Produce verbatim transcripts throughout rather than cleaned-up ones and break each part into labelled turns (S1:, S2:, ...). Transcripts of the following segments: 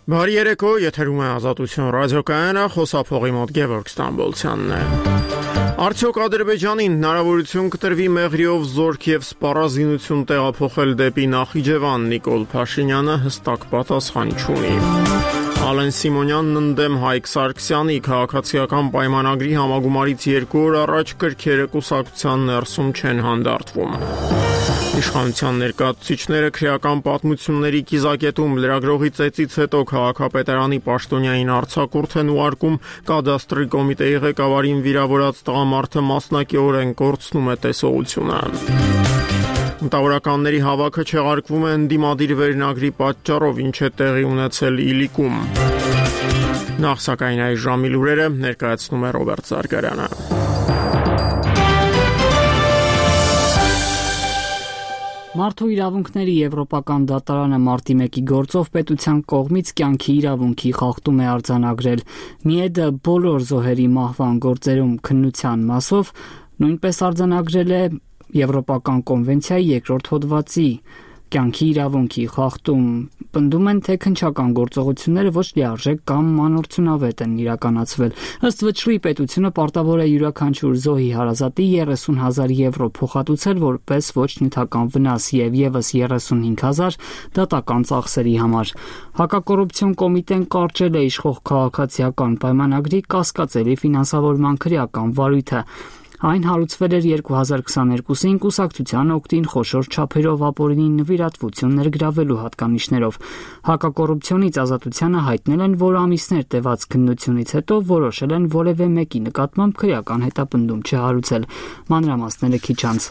S1: Բարի երեկո, եթերում է Ազատություն ռադիոկայանը, խոսափողի մոտ Գևորգ Ստամբոլցյանն է։ Արդյոք Ադրբեջանին հնարավորություն կտրվի մեղրիով զորք եւ սպառազինություն տեղափոխել դեպի Նախիջևան, Նիկոլ Փաշինյանը հստակ պատասխան չունի։ Ալեն Սիմոնյանն ընդդեմ Հայկ Սարգսյանի քաղաքացիական պայմանագրի համագումարից երկու օր առաջ կրքերը կուսակցության ներսում չեն հանդարտվում։ Իշխանության ներկայացուցիչները քրեական պատմությունների կիզակետում լրագրողի ծեծից հետո քաղաքապետարանի պաշտոնյային արձակուրդ են ուղարկում, կադաստրի կոմիտեի ղեկավարին վիրավորած տղամարդը մասնակիորեն կորցնում է տեսողությունը։ Մտավորականների հավաքը չեղարկվում է ընդդիմադիր վերնագրի պատճառով, ինչ է տեղի ունեցել Իլիկում։ Նախ սակայն այս ժամի լուրերը ներկայացնում է Ռոբերտ Զարգարյանը։
S2: Մարդու իրավունքների Եվրոպական դատարանը մարտի մեկի գործով պետության կողմից կյանքի իրավունքի խախտում է արձանագրել։ ՄԻԵԴ-ը բոլոր զոհերի մահվան գործերում քննության մասով նույնպես արձանագրել է Եվրոպական կոնվենցիայի երկրորդ հոդվածի կյանքի իրավունքի խախտում։ Պնդում են, թե քննչական գործողությունները ոչ լիարժեք կամ մանորցունավետ են իրականացվել։ Ըստ վճռի պետությունը պարտավոր է յուրաքանչյուր զոհի հարազատի երեսուն հազար եվրո փոխհատուցել որպես ոչ նյութական վնաս եւ եւս երեսունհինգ հազար դատական ծախսերի համար։ Հակակոռուպցիոն կոմիտեն կարճել է իշխող քաղաքացիական պայմանագրի կասկածելի ֆինանսավորման քրեական վարույթը։ Այն հարուցվել էր երկու հազար քսաներկուսին կուսակցության օգտին խոշոր չափերով ապօրինի նվիրատվություն ներգրավելու հատկանիշներով։ Հակակոռուպցիոնից ազատությանը հայտնել են, որ ամիսներ տևած քննությունից հետո որոշել են որևէ մեկի նկատմամբ քրեական հետապնդում չհարուցել։ Մանրամասները քիչ անց։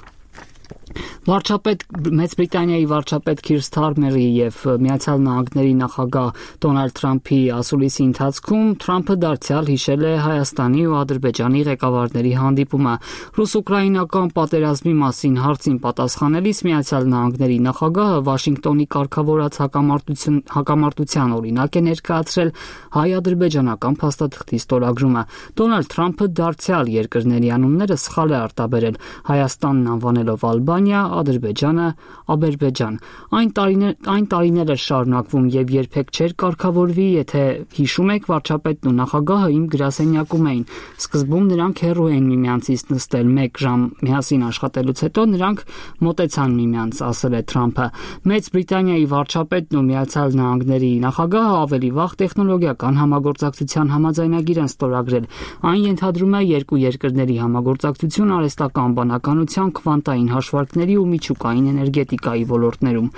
S2: Վարչապետ Մեծ Բրիտանիայի վարչապետ Քիր Սթարմերի եւ Միացյալ Նահանգների նախագահ Դոնալդ Թրամփի ասուլիսի ընթացքում Թրամփը դարձյալ հիշել է Հայաստանի ու Ադրբեջանի ղեկավարների հանդիպումը։ Ռուս-ուկրաինական պատերազմի մասին հարցին պատասխանելիս Միացյալ Նահանգների նախագահը Վաշինգտոնի կարգավորած հակամարտություն հակամարտության օրինակ է ներկայացրել հայ-ադրբեջանական փաստաթղթի ստորագրումը։ Դոնալդ Թրամփը դարձյալ երկրների անունները սխալ է արտաբերել, Հայաստանն անվանելով Ալբանիա, Ադրբեջանը Աբերբեջան։ Այն տարիներ այն տարիներ է շարունակվում եւ երբեք չէր կարգավորվի, եթե հիշում եք, վարչապետն ու նախագահը իմ գրասենյակում էին։ Սկզբում նրանք հեռու էին միմյանցից նստել մեկ ժամ միասին աշխատելուց հետո նրանք մոտեցան միմյանց, ասել է Թրամփը։ Մեծ Բրիտանիայի վարչապետն ու Միացյալ Նահանգների նախագահը ավելի վաղ տեխնոլոգիական համագործակցության համաձայնագիր են ստորագրել։ Այն ենթադրում է երկու երկրների համագործակցություն արհեստական բանականության, քվանտային հաշվարկների ու միջուկային էներգետիկայի ոլորտներում։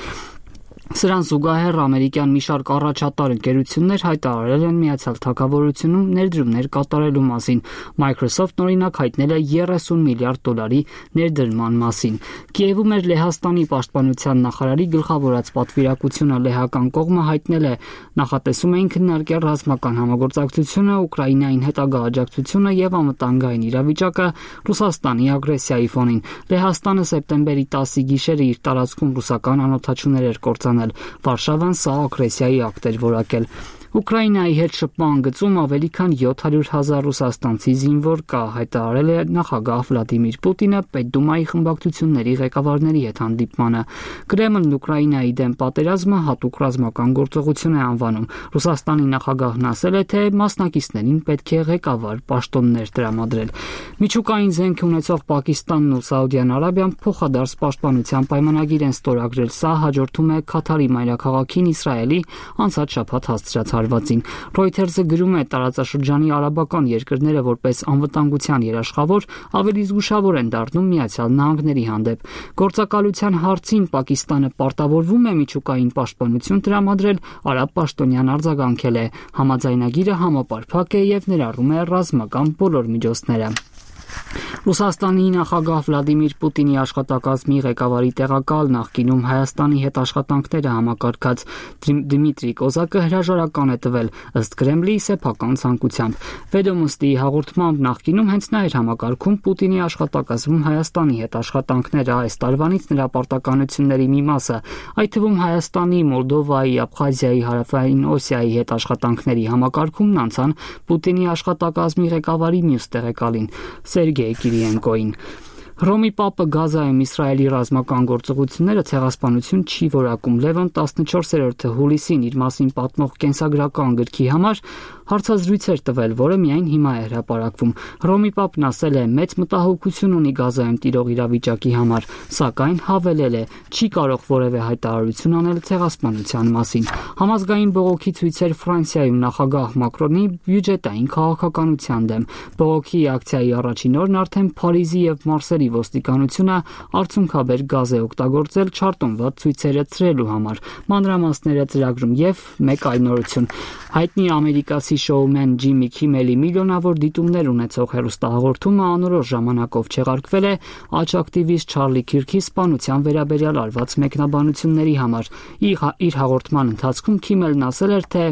S2: Սրան զուգահեռ ամերիկյան մի շարք առաջատար ընկերություններ հայտարարել են Միացյալ Թագավորությունում ներդրումներ կատարելու մասին։ Microsoft-ն օրինակ հայտնել է երեսուն միլիարդ դոլարի ներդրման մասին։ Կիևում էր Լեհաստանի պաշտպանության նախարարի գլխավորած պատվիրակությունը լեհական կողմը հայտնել է նախատեսում էին քննարկել ռազմական համագործակցությունը, Ուկրաինային հետագա աջակցությունը եւ անվտանգային իրավիճակը Ռուսաստանի ագրեսիայի ֆոնին։ Լեհաստանը սեպտեմբերի տասի գիշերը իր տարածքում ռուսական անօդաչուներ էր կործանել։ Վարշավան սա ագրեսիայի ակտ էր որակել։ Ուկրաինայի հետ շփման գծում ավելի քան յոթ հարյուր հազար ռուսաստանցի զինվոր կա, հայտարարել է նախագահ Վլադիմիր Պուտինը Պետդումայի խմբակցությունների ղեկավարների հետ հանդիպմանը։ Կրեմլն Ուկրաինայի դեմ պատերազմը հատուկ ռազմական գործողություն է անվանում։ Ռուսաստանի նախագահն ասել է, թե մասնակիցներին պետք է ղեկավար պաշտոններ տրամադրել։ Միջուկային զենք ունեցող Պակիստանն ու Սաուդյան Արաբիան փոխադարձ պաշտպանության պայմանագիր են ստորագրել։ Սա հաջորդում է Քաթարի մայրաքաղաքին Իսրայելի անցած շաբաթ հասցրած հարվածին։ Reuters-ը գրում է, տարածաշրջանի արաբական երկրները որպես անվտանգության երաշխավոր ավելի զգուշավոր են դառնում Միացյալ Նահանգների հանդեպ։ Գործակալության հարցին Պակիստանը պարտավորվում է միջուկային պաշտպանություն տրամադրել, արաբ պաշտոնյան արձագանքել է։ Համաձայնագիրը համապարփակ է եւ ներառում է ռազմական բոլոր միջոցները։ Ռուսաստանի նախագահ Վլադիմիր Պուտինի աշխատակազմի ղեկավարի տեղակալ նախկինում Հայաստանի հետ աշխատանքները համակարգած Դմիտրի Կոզակը հրաժարական է տվել ըստ Կրեմլի սեփական ցանկությամբ։ Վեդոմոստի հաղորդմամբ նախկինում հենց նա էր համակարգում Պուտինի աշխատակազմում Հայաստանի հետ աշխատանքները, այս տարվանից նրա պարտականությունների մի մասը, այդ թվում Հայաստանի, Մոլդովայի, Աբխազիայի, Հարավային Օսիայի հետ աշխատանքների համակարգումն անցան Պուտինի աշխատակազմի ղեկավարի մյուս տեղակալին Սերգեյ Կիրիենկոին։ Հռոմի Պապը Գազայում Իսրայելի ռազմական գործողությունները ցեղասպանություն չի որակում։ Լևոն տասնչորսերորդը հուլիսին իր մասին պատմող կենսագրական գրքի համար հարցազրույց էր տվել, որը միայն հիմա է հրապարակվում։ Հռոմի Պապն ասել է, մեծ մտահոգություն ունի Գազայում տիրող իրավիճակի համար, սակայն հավելել է, չի կարող որևէ հայտարարություն անել ցեղասպանության մասին։ Համազգային բողոքի ցույցեր Ֆրանսիայում նախագահ Մակրոնի բյուջետային քաղաքականության դեմ։ Բողոքի ակցիայի առաջին օրն արդեն Փարիզի եւ Մարսելի ոստիկանությունը արցունքաբեր գազ է օգտագործել չարտոնված ցույցերը ցրելու համար։ Մանրամասները ծրագրում եւ մեկ այլ նորություն։ Հայտնի ամերիկացի շոումեն Ջիմի Քիմելի միլիոնավոր դիտումներ ունեցող հեռուստահաղորդումը անորոշ ժամանակով չեղարկվել է աջ-ակտիվիստ Չարլի Քիրքի սպանության վերաբերյալ արված մեկնաբանությունների համար։ Իր հաղորդման ընթացքում Քիմելն ասել էր, թե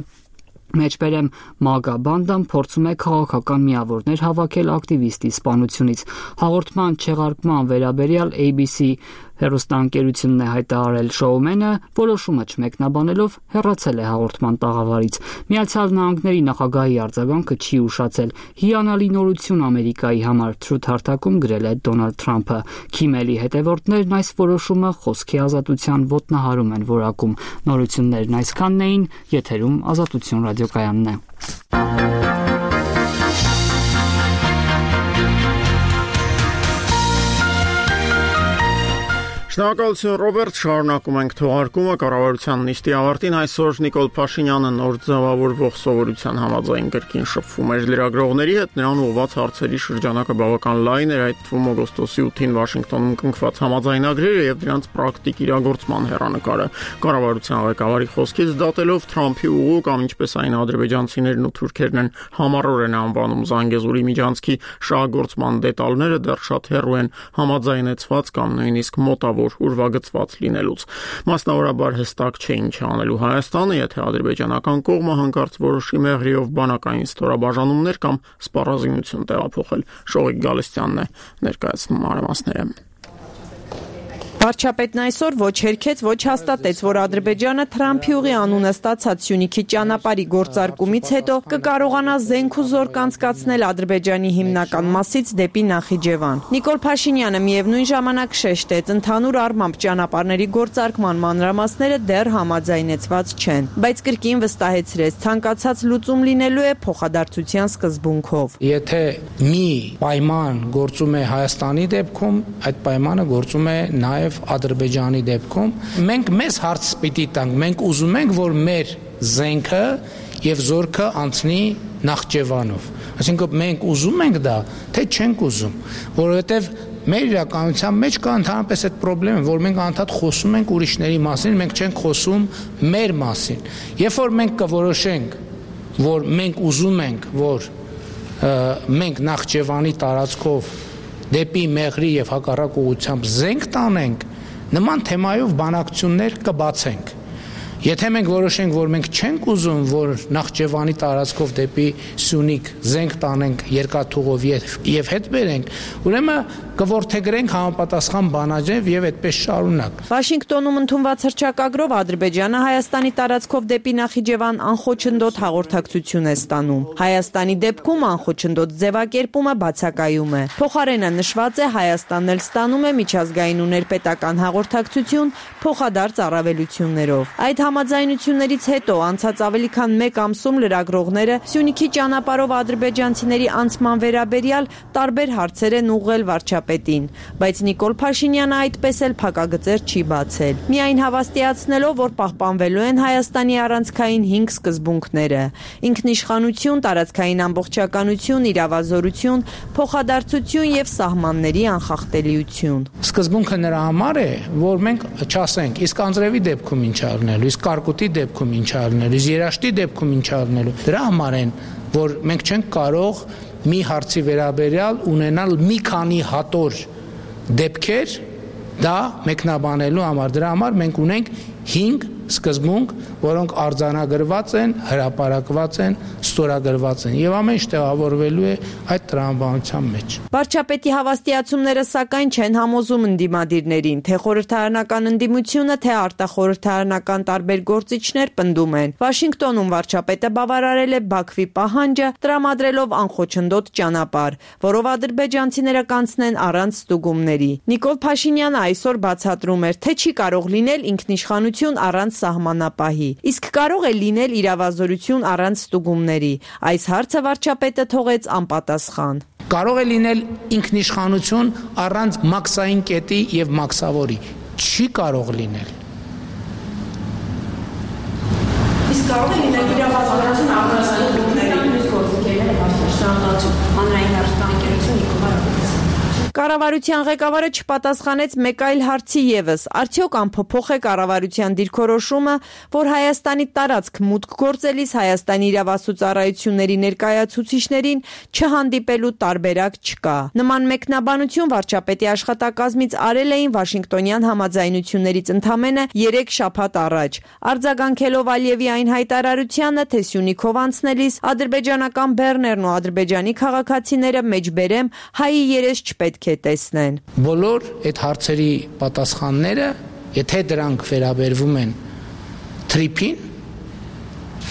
S2: Մեջբերեմ մագա բանդան փորձում է քաղաքական միավորներ հավաքել ակտիվիստի սպանությունից։ Հաղորդման չեղարկման վերաբերյալ A B C հեռուստաընկերությունն է հայտարարել, շոումենը որոշումը չմեկնաբանելով հեռացել է հաղորդման տաղավարից։ Միացյալ Նահանգների նախագահի արձագանքը չի ուշացել։ Հիանալի նորություն Ամերիկայի համար, թրութ-հարթակում գրել է Դոնալդ Թրամփը։ Քիմելի հետևորդներն այս որոշումը խոսքի ազատության ոտնահարում են որակում։ Նորություններն այսքանն էին, եթերում Ազատություն ռադիոկայանն է։
S1: Շնորհակալություն Ռոբերտ, շարունակում ենք թողարկումը կառավարության նիստի ավարտին այսօր Նիկոլ Փաշինյանը նոր ձևավորվող սովորության համաձայն կրկին շփվում էր լրագրողների հետ, նրան ուղղված հարցերի շրջանակը բավական լայն էր, այդ թվում օգոստոսի ութին Վաշինգտոնում կնքված համաձայնագրերը եւ դրանց պրակտիկ իրագործման հեռանկարը։ Կառավարության ղեկավարի խոսքից դատելով Թրամփի ուղու կամ ինչպես այն ադրբեջանցիներն ու թուրքերն են համառորեն անվանում Զանգեզուրի միջանցքի շահագործման դետալները դեռ շատ հեռու են համաձայնեցված կամ նույնիսկ մոտավոր ուրվագծված լինելուց։ Մասնավորաբար հստակ չէ ինչ անելու Հայաստանը, եթե ադրբեջանական կողմը հանկարծ որոշի մեղրիով բանակային ստորաբաժանումներ կամ սպառազինություն տեղափոխել։ Շողիկ Գալստյանն է ներկայացնում մանրամասները։
S3: Վարչապետն այսօր ոչ հերքեց, ոչ հաստատեց, որ Ադրբեջանը Թրամփի ուղի անունը ստացած Սյունիքի ճանապարհի գործարկումից հետո կկարողանա զենք ու զորք անցկացնել Ադրբեջանի հիմնական մասից դեպի Նախիջևան։ Նիկոլ Փաշինյանը միևնույն ժամանակ շեշտեց, ընդհանուր առմամբ ճանապարհների գործարկման մանրամասները դեռ համաձայնեցված չեն, բայց կրկին վստահեցրեց, ցանկացած լուծում լինելու է փոխադարձության սկզբունքով։
S4: Եթե մի պայման գործում է Հայաստանի դեպքում, այդ պայմանը գործում է նաև Ադրբեջանի դեպքում մենք մեզ հարց պիտի տանք, մենք ուզում ենք, որ մեր զենքը եւ զորքը անցնի Նախճեվանով։ Այսինքն մենք ուզում ենք դա, թե չենք ուզում, որովհետեւ մեր իրականության մեջ կա ընդհանրապես այդ խնդիրը, որ մենք անդադ խոսում ենք ուրիշների մասին, մենք չենք խոսում մեր մասին։ Երբ որ մենք կորոշենք, որ մենք ուզում ենք, որ մենք Նախճեվանի տարածքով դեպի Մեղրի եւ հակառակ ուղղությամբ զենք տանենք, նման թեմայով բանակցություններ կբացենք։ Եթե մենք որոշենք, որ մենք չենք ուզում, որ Նախճեվանի տարածքով դեպի Սյունիք զենք տանենք երկաթուղով եւ հետ բերենք, ուրեմն կորթեգրենք համապատասխան բանաձև եւ այդպես շարունակ։
S3: Վաշինգտոնում ընդունված հռչակագրով Ադրբեջանը Հայաստանի տարածքով դեպի Նախիջևան անխոչնդոտ հաղորդակցություն է ստանում։ Հայաստանի դեպքում անխոչնդոտ ձևակերպումը բացակայում է։ Փոխարենը նշված է Հայաստանն էլ ստանում է միջազգային ու ներպետական հաղորդակցություն փոխադարձ առավելություններով։ Այդ համաձայնություններից հետո անցած ավելի քան մեկ ամսում լրագրողները Սյունիքի ճանապարհով ադրբեջանցիների անցման վերաբերյալ տարբեր հարցեր են ուղղել վարչապետին, բայց Նիկոլ Փաշինյանը այդպես էլ փակագծեր չի բացել։ Միայն հավաստիացնելով, որ պահպանվելու են Հայաստանի առանցքային հինգ սկզբունքները՝ ինքնիշխանություն, տարածքային ամբողջականություն, իրավազորություն, փոխադարձություն եւ սահմանների անխախտելիություն։
S4: Սկզբունքը նրա համար է, որ մենք չասենք, իսկ Անձրևի դեպքում ինչ արնելու, իսկ Կարկուտի դեպքում ինչ արնելու, իսկ Երաշտի դեպքում ինչ արնելու։ Դրա համար են, որ մենք չենք կարող մի հարցի վերաբերյալ ունենալ մի քանի հատոր դեպքեր դա մեկնաբանելու համար։ Դրա համար մենք ունենք հինգ սկզբունք, որոնք արձանագրված են, հրապարակված են ստորագրված են եւ ամեն ինչ տեղավորվելու է այդ տրամաբանության մեջ։
S3: Վարչապետի հավաստիացումները սակայն չեն համոզում ընդդիմադիրներին, թե խորհրդարանական ընդդիմությունը, թե արտախորհրդարանական տարբեր գործիչներ պնդում են։ Վաշինգտոնում վարչապետը բավարարել է Բաքվի պահանջը, տրամադրելով անխոչնդոտ ճանապարհ, որով ադրբեջանցիները կանցնեն առանց ստուգումների։ Նիկոլ Փաշինյանը այսօր բացատրում էր, թե չի կարող լինել ինքնիշխանություն առանց սահմանապահի, իսկ կարող է լինել իրավազորություն առանց ստուգումների։ Այս հարցը վարչապետը թողեց անպատասխան։
S4: Կարող է լինել ինքնիշխանություն առանց մաքսային կետի եւ մաքսավորի։ Չի կարող լինել։
S3: Իսկ կարող է լինել իրավազորություն առանց ստուգումների։ Հանրային հեռուստաընկերություն Նիկոլայ Կառավարության ղեկավարը չպատասխանեց մեկ այլ հարցի ևս. արդյոք անփոփոխ է կառավարության դիրքորոշումը, որ Հայաստանի տարածք մուտք գործելիս Հայաստանի իրավասու ծառայությունների ներկայացուցիչներին չհանդիպելու տարբերակ չկա։ Նման մեկնաբանություն վարչապետի աշխատակազմից արել էին Վաշինգտոնյան համաձայնություններից ընդամենը երեք շաբաթ առաջ, արձագանքելով Ալիևի այն հայտարարությանը, թե Սյունիքով անցնելիս ադրբեջանական բեռներն ու ադրբեջանի քաղաքացիները մեջբերեմ հայի երես չպետք է տեսնեն։
S4: Բոլոր այդ հարցերի պատասխանները, եթե դրանք վերաբերվում են թրիփին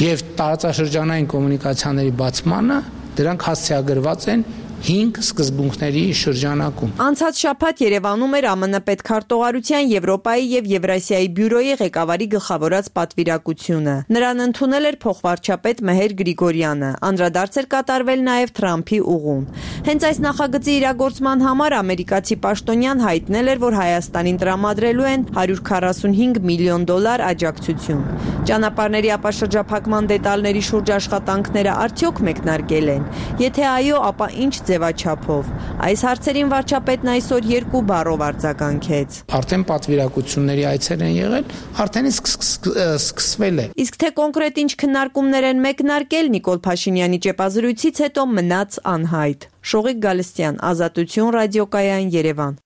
S4: եւ տարածաշրջանային կոմունիկացիաների բացմանը, դրանք հասցեագրված են հինգ սկզբունքների շրջանակում։
S3: Անցած շաբաթ Երևանում էր ԱՄՆ պետքարտուղարության Եվրոպայի եւ Եվրասիայի բյուրոյի ղեկավարի գլխավորած պատվիրակությունը։ Նրան ընդունել էր փոխվարչապետ Մեհեր Գրիգորյանը։ Անդրադարձ էր կատարվել նաեւ Թրամփի ուղուն։ Հենց այս նախագծի իրագործման համար ամերիկացի պաշտոնյան հայտնել էր, որ Հայաստանին տրամադրելու են հարյուր քառասունհինգ միլիոն դոլար աջակցություն։ Ճանապարհների ապաշրջափակման դետալների շուրջ աշխատանքները արդյոք մեկնարկել են։ Եթե այո, ապա ինչ ձևաչափով։ Այս հարցերին վարչապետն այսօր երկու բառով արձագանքեց։
S4: Արդեն պատվիրակությունների այցեր են եղել, արդեն սկսվել է։
S3: Իսկ թե կոնկրետ ինչ քննարկումներ են մեկնարկել, Նիկոլ Փաշինյանի ճեպազրույցից հետո մնաց անհայտ։ Շողիկ Գալստյան, Ազատություն ռադիոկայան, Երևան։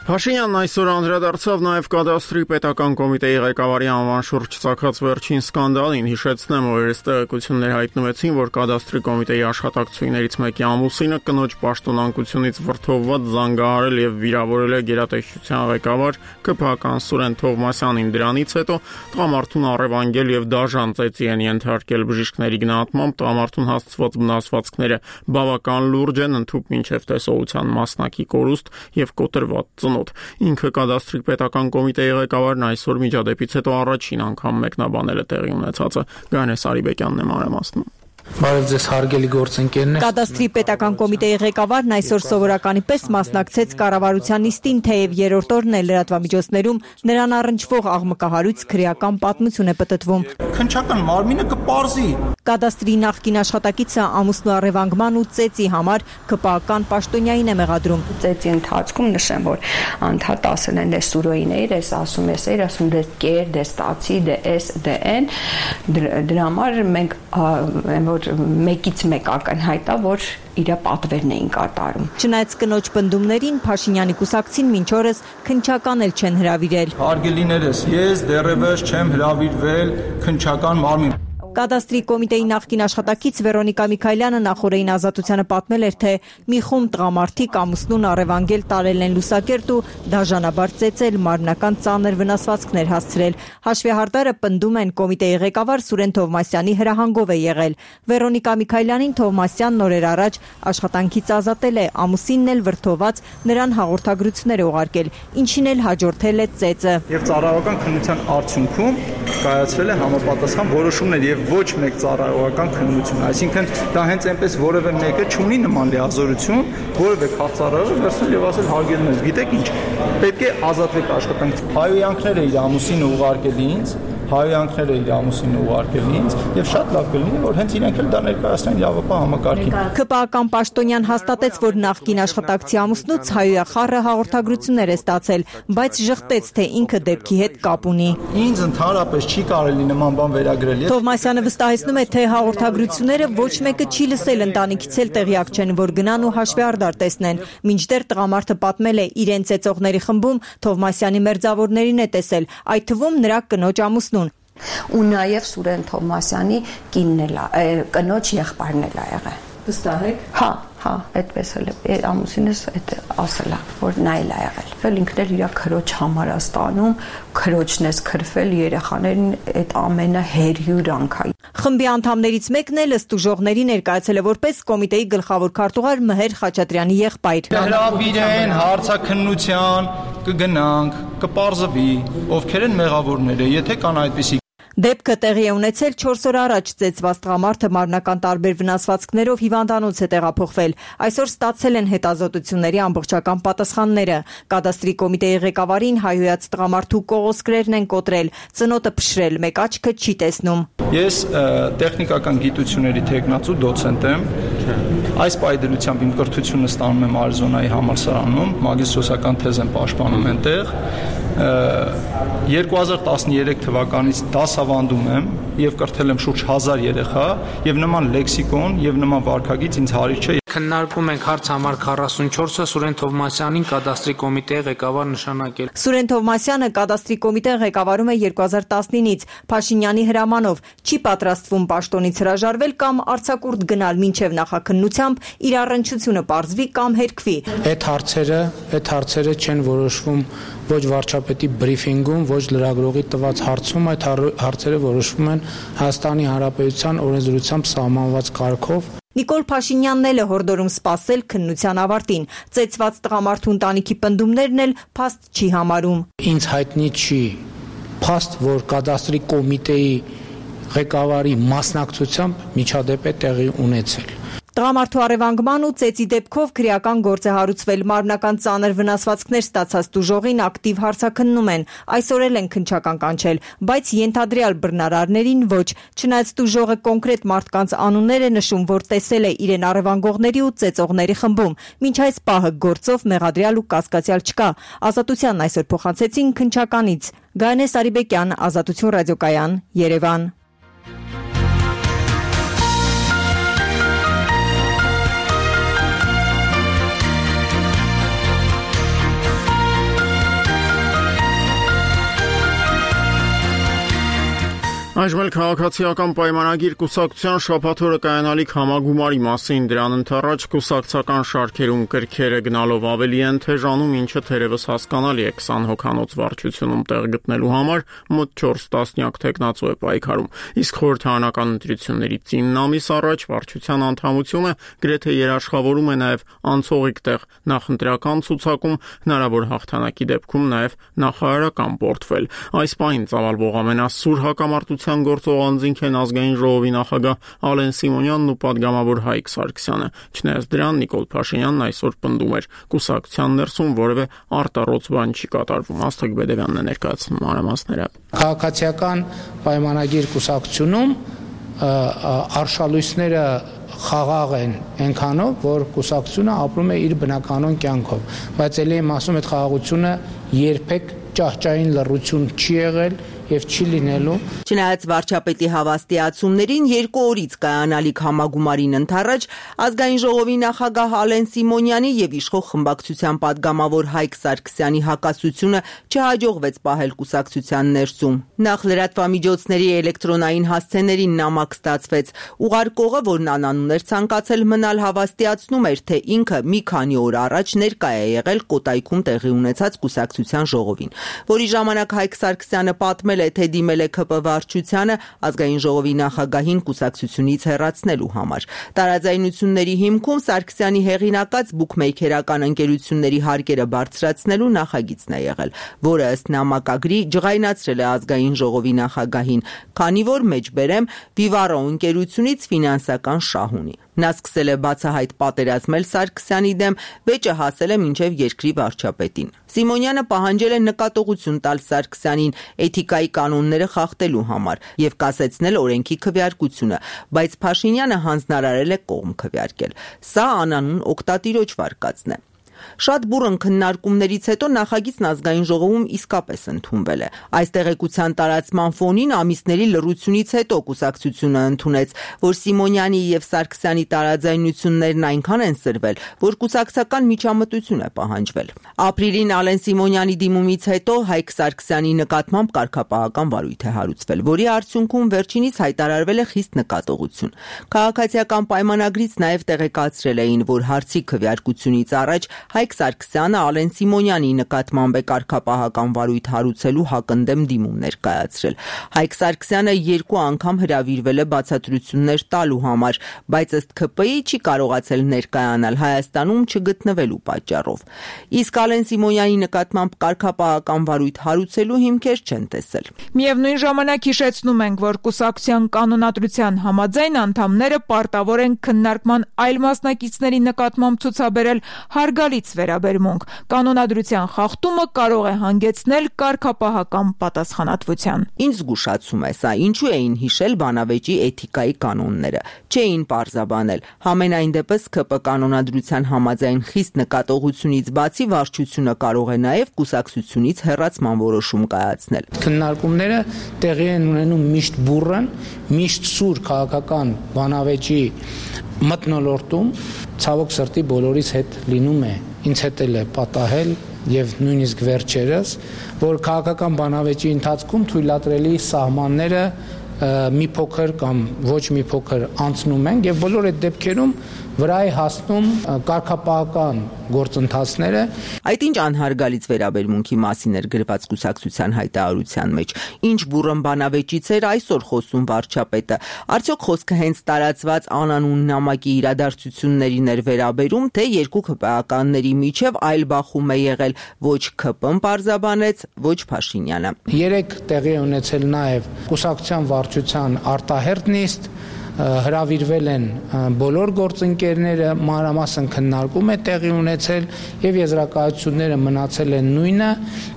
S1: Փաշինյանն այսօր անդրադարձավ նաև կադաստրի պետական կոմիտեի ղեկավարի անվան շուրջ ծագած վերջին սկանդալին, հիշեցնեմ, որ այս տեղեկություններ հայտնվեցին, որ կադաստրի կոմիտեի աշխատակցուհիներից մեկի ամուսինը կնոջ պաշտոնանկությունից վրդովված զանգահարել եւ վիրավորել է գերատեսչության ղեկավար ԿՓ-ական Սուրեն Թովմասյանին։ Դրանից հետո տղամարդուն առևանգել եւ դաժան ծեծի են ենթարկել բժիշկների գնահատմամբ, տղամարդուն հասցված վնասվածքները բավական լուրջ են, ընդհուպ մինչեւ տեսողության մասնակի կորուստ եւ կոտրված ծնո Ինքը կադաստրի պետական կոմիտեի ղեկավարն այսօր միջադեպից հետո առաջին անգամ մեկնաբանել է տեղի ունեցածը։ Գանես Արիբեկյանն է մանրամասնում։
S4: Բարև ձեզ հարգելի գործընկերներ։
S3: Կադաստրի պետական կոմիտեի ղեկավարն այսօր սովորականի պես մասնակցեց կառավարության նիստին, թեև երրորդ օրն է լրատվամիջոցներում նրան առնչվող աղմկահարույց քրեական պատմություն է պտտվում։
S5: Քննչական մարմինը կպարզի։
S3: Կադաստրի նախկին աշխատակիցը ամուսնու առևանգման ու ծեծի համար ԿՊԱ-ական պաշտոնյային է մեղադրում։
S6: Ծեծի ընթացքում նշեմ, որ անդադ ասել են դե սուրոին էիր, ես ասում ես էիր, ասում դե կեր, դե ստացի, դե էս, դե են։ Դրա համար մենք որ մեկից մեկ ակնհայտ է, որ իր պատվերն էին կատարում։
S3: Չնայած կնոջ պնդումներին, Փաշինյանի կուսակցին մինչ օրս քննչական էլ չեն հրավիրել։
S5: Հարգելիներս, ես դեռևս չեմ հրավիրվել քննչական մարմին։
S3: Կադաստրի կոմիտեի նախկին աշխատակից Վերոնիկա Միքայելյանը նախորդին Ազատությանը պատմել էր, թե մի խումբ տղամարդիկ ամուսնուն առևանգել տարել են լուսակերտ ու դաժանաբար ծեծել, մարմնական ծանր վնասվածքներ հասցրել։ Հաշվեհարդարը պնդում են կոմիտեի ղեկավար Սուրեն Թովմասյանի հրահանգով է եղել։ Վերոնիկա Միքայելյանին Թովմասյանն օրեր առաջ աշխատանքից ազատել է, ամուսինն էլ վրդոված նրան հաղորդագրություններ է ուղարկել, ինչին էլ հաջորդել է ծեծը։
S5: Եվ ծառայողական քննության արդյունքում կայացվել է համապատասխան որոշումներ եւ ոչ մեկ ծառայողական քննություն, այսինքն դա հենց այնպես որևէ մեկը չունի նման լիազորություն, որևէ քաղցարարը վերցնել եւ ասել հարգելիներս, գիտեք ինչ, պետք է ազատվեք աշխատանքից։ Հայոյանքները իր ամուսինը ուղարկել ինձ հայհոյանքները իր ամուսինը ուղարկել ինձ եւ շատ լավ կլինի որ հենց իրենք էլ դա ներկայացնեն իրավապահ համակարգին։
S3: ՔՊԱ-ական պաշտոնյան հաստատեց, որ նախկին աշխատակցի ամուսնուց հայհոյախառը հաղորդագրություններ է ստացել, բայց ժխտեց, թե ինքը դեպքի հետ կապ ունի։
S5: Ինձ ընդհանրապես չի կարելի նման բան վերագրել։
S3: Թովմասյանը վստահեցնում է, թե հաղորդագրությունները ոչ մեկը չի լսել, ընտանիքից էլ տեղյակ չեն, որ գնան ու հաշվի արդար տեսնեն։ Մինչդեռ տղամարդը պատմել է իրեն ծեծողների խմբում Թովմասյանի մերձավորներին է տեսել, այդ թվում նրա կնոջ ամուսնուն։
S6: Ու նաև Սուրեն Թովմասյանի կինն է, կնոջ եղբայրն է եղել։
S3: Վստահ եք։
S6: Հա, հա, այդպես էլ է ամուսինս այդ ասել է, որ նա էլ է եղել։ Էլ ինքն էլ իր քրոջ համար է ստանում, քրոջն է քրվել, երեխաներին այդ ամենը հերյուրանք է։
S3: Խմբի անդամներից մեկն էլ ըստ ուժողների ներկայացել է որպես կոմիտեի գլխավոր քարտուղար Մհեր Խաչատրյանի եղբայր։
S5: Հրավիրեն հարցաքննության, կգնանք, կպարզվի, ովքեր են մեղավորները, եթե կան այդպիսի։
S3: Դեպքը տեղի է ունեցել չորս օր առաջ ծեծված տղամարդը մարմնական տարբեր վնասվածքներով հիվանդանոց է տեղափոխվել։ Այսօր ստացել են հետազոտությունների ամբողջական պատասխանները։ Կադաստրի կոմիտեի ղեկավարին հայհոյած տղամարդու կողոսկրերն են կոտրել, ծնոտը փշրել, մեկ աչքը չի տեսնում։
S5: Ես տեխնիկական գիտությունների թեկնածու դոցենտ եմ։ Այս պայդրությամբ իմ կրթությունը ստանում եմ Արիզոնայի համալսարանում, մագիստրոսական թեզ եմ պաշտպանում այնտեղ։ երկու հազար տասներեք թվականից դասավանդում եմ եւ կրթել եմ շուրջ հազար երեխա եւ նման լեքսիկոն եւ նման վարքագիծ ինձ հարիր չէ։
S4: Քննարկում ենք հարց համար քառասունչորսը Սուրեն Թովմասյանին կադաստրի կոմիտեի ղեկավար նշանակել։
S3: Սուրեն Թովմասյանը կադաստրի կոմիտեն ղեկավարում է երկու հազար տասնինից Փաշինյանի հրամանով, չի պատրաստվում պաշտոնից հրաժարվել կամ արձակուրդ գնալ մինչև նախաքննությամբ իր առնչությունը պարզվի կամ հերքվի։
S4: Այդ հարցերը, այդ հարցերը չեն որոշվում ոչ վարչապետի բրիֆինգում, ոչ լրագրողի տված հարցում, այդ հարցերը որոշվում են Հայաստանի Հանրապետության օրենսդրությամբ սահմանված կարգով։
S3: Նիկոլ Փաշինյանն էլ է հորդորում սպասել քննության ավարտին։ Ծեծված տղամարդու ընտանիքի պնդումներն էլ փաստ չի համարում։
S4: Ինձ հայտնի չի փաստ, որ կադաստրի կոմիտեի ղեկավարի մասնակցությամբ միջադեպ է տեղի ունեցել։
S3: Տղամարդու առևանգման ու ծեծի դեպքով քրեական գործ է հարուցվել, մարմնական ծանր վնասվածքներ ստացած տուժողին ակտիվ հարցաքննում են, այսօր էլ են քննչական կանչել, բայց ենթադրյալ բռնարարներին ոչ, չնայած տուժողը կոնկրետ մարդկանց անուններ է նշում, որ տեսել է իրեն առևանգողների ու ծեծողների խմբում, մինչ այս պահը գործով մեղադրյալ ու կասկածյալ չկա, Ազատությանն այսօր փոխանցեցին քննչականից։ Գայանե Սարիբեկյան, Ազատություն ռադիոկայան, Երևան։
S1: Այժմ էլ քաղաքացիական պայմանագիր կուսակցության շաբաթօրը կայանալիք համագումարի մասին դրան ընթառաջ կուսակցական շարքերում կրքերը գնալով ավելի են թեժանում, ինչը թերևս հասկանալի է քսան հոգանոց վարչությունում տեղ գտնելու համար մոտ չորս տասնյակ թեկնածու է պայքարում։ Իսկ խորհրդարանական ընտրություններից ինը ամիս առաջ վարչության անդամությունը գրեթե երաշխավորում է նաև անցողիկ տեղ նախընտրական ցուցակում, հնարավոր հաղթանակի դեպքում նաև նախարարական պորտֆել։ Այս պահին ծավալվող ամենասուր հակամարտության գործող անձինք են ազգային ժողովի նախագահ Ալեն Սիմոնյանն ու պատգամավոր Հայկ Սարգսյանը։ Չնայած դրան Նիկոլ Փաշինյանն այսօր պնդում էր կուսակցության ներսում որևէ արտառոց բան չի կատարվում։ Աստղիկ Բեդևյանն է ներկայացնում մանրամասները։
S4: Քաղաքացիական պայմանագիր կուսակցությունում արշալույսները խաղաղ են այնքանով, որ կուսակցությունը ապրում է իր բնականոն կյանքով, բայց ելի եմ ասում, այդ խաղաղությունը երբեք ճահճային լռություն չի եղել եւ չի լինելու։
S3: Չնայած վարչապետի հավաստիացումներին երկու օրից կայանալիք համագումարին ընթառաջ ազգային ժողովի նախագահ Ալեն Սիմոնյանի եւ իշխող խմբակցության падգամավոր Հայկ Սարգսյանի հակասությունը չհաջողվեց պահել կուսակցության ներսում։ Նախ լրատվամիջոցների էլեկտրոնային հասցեներին նամակ ստացվեց։ Ուղարկողը, որն անանուն էր ցանկացել մնալ, հավաստիացնում էր, թե ինքը մի քանի օր առաջ ներկա է եղել Կոտայքում տեղի ունեցած կուսակցության ժողովին, որի ժամանակ Հայկ Սարգսյանը պատմել է, թե դիմել է ՔՊ վարչությանը ազգային ժողովի նախագահին կուսակցությունից հեռացնելու համար։ Տարաձայնությունների հիմքում Սարգսյանի հեղինակած բուքմեյքերական ընկերությունների հարկերը բարձրացնելու նախագիծն է եղել, որը ըստ նամակագրի ջղայնացրել է ազգային ժողովի նախագահին, քանի որ մեջբերեմ Վիվարո ընկերությունից ֆինանսական շահ ունի։
S7: Նա սկսել է բացահայտ պատերազմել Սարգսյանի դեմ, վեճը հասել է մինչև երկրի վարչապետին։ Սիմոնյանը պահանջել է նկատողություն տալ Սարգսյանին էթիկայի կանոնները խախտելու համար եւ կասեցնել օրենքի քվեարկությունը, բայց Փաշինյանը հանձնարարել է կողմ քվեարկել։ Սա անանուն օկտատիրոջ վարկածն է։ Շատ բուռն քննարկումներից հետո նախագիծն ազգային ժողովում իսկապես ընդունվել է։ Այս տեղեկության տարածման ֆոնին ամիսների լռությունից հետո կուսակցությունը ընդունեց, որ Սիմոնյանի եւ Սարգսյանի տարաձայնություններն այնքան են սրվել, որ կուսակցական միջամտություն է պահանջվել։ Ապրիլին Ալեն Սիմոնյանի դիմումից հետո Հայկ Սարգսյանի նկատմամբ կարգապահական վարույթ է հարուցվել, որի արդյունքում վերջինից հայտարարվել է խիստ նկատողություն։ Քաղաքացիական պայմանագրից նաեւ տեղեկացրել էին, որ հարցի քվեարկությունից առաջ Հայկ Սարգսյանը Ալեն Սիմոնյանի նկատմամբ է կարգապահական վարույթ հարուցելու հակընդդեմ դիմում ներկայացրել։ Հայկ Սարգսյանը երկու անգամ հրավիրվել է բացատրություններ տալու համար, բայց ըստ K P I չի կարողացել ներկայանալ Հայաստանում չգտնվելու պատճառով։ Իսկ Ալեն Սիմոնյանի նկատմամբ կարգապահական վարույթ հարուցելու հիմքեր չեն տեսել։
S8: Միևնույն ժամանակ հիշեցնում ենք, որ կուսակցության կանոնադրության համաձայն անդամները պարտավոր են քննարկման այլ մասնակիցների նկատմամբ ցուցաբերել հարգալից վերաբերմունք։ Կանոնադրության խախտումը կարող է հանգեցնել կարգապահական պատասխանատվության։
S7: Ինչ զգուշացում է սա, ինչու էին հիշել բանավեճի էթիկայի կանոնները, չէին պարզաբանել։ Համենայն դեպս K P կանոնադրության համաձայն խիստ նկատողությունից բացի վարչությունը կարող է նաև կուսակցությունից հեռացման որոշում կայացնել։
S4: Քննարկումները տեղի են ունենում միշտ բուռն, միշտ սուր քաղաքական բանավեճի մթնոլորտում, ցավոք սրտի բոլորիս հետ լինում է, ինձ հետ էլ է պատահել եւ նույնիսկ վերջերս, որ քաղաքական բանավեճի ընթացքում թույլատրելի սահմանները մի փոքր կամ ոչ մի փոքր անցնում են եւ բոլոր այդ դեպքերում վրա է հասնում կարգապահական գործընթացները։
S7: Այդ ինչ անհարգալից վերաբերմունքի մասին էր գրված կուսակցության հայտարարության մեջ։ Ինչ բուռն բանավեճից էր այսօր խոսում վարչապետը։ Արդյոք խոսքը հենց տարածված անանուն նամակի իրադարձություններին էր վերաբերում, թե երկու քպեականների միջև այլ բախում է եղել, ոչ K P-ն պարզաբանեց, ոչ Փաշինյանը։
S4: Երեք տեղի է ունեցել նաև կուսակցության վարչության արտահերթ նիստ, հրավիրվել են բոլոր գործընկերները, մանրամասն քննարկում է տեղի ունեցել եւ եզրակացությունները մնացել են նույնը։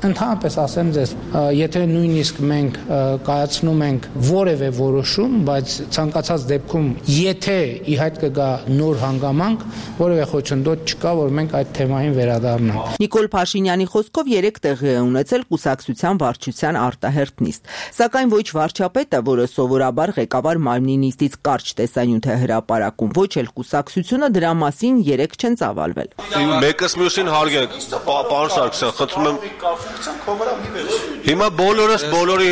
S4: Ընդհանրապես ասեմ ձեզ, եթե նույնիսկ մենք կայացնում ենք որևէ որոշում, բայց ցանկացած դեպքում եթե ի հայտ կգա նոր հանգամանք, որևէ խոչընդոտ չկա, որ մենք այդ թեմային վերադառնանք։
S7: Նիկոլ Փաշինյանի խոսքով երեք տեղի է ունեցել կուսակցության վարչության արտահերթ նիստ, սակայն ոչ վարչապետը, որը սովորաբար ղեկավար մարմնի նիստից կարճ տեսանյութ է հրապարակում, ոչ էլ կուսակցությունը դրա մասին երեք չեն ծավալվել։
S9: Մեկս մյուսին հարգենք, պարոն Սարգսյան, խնդրում եմ։ Հիմա բոլորս բոլորի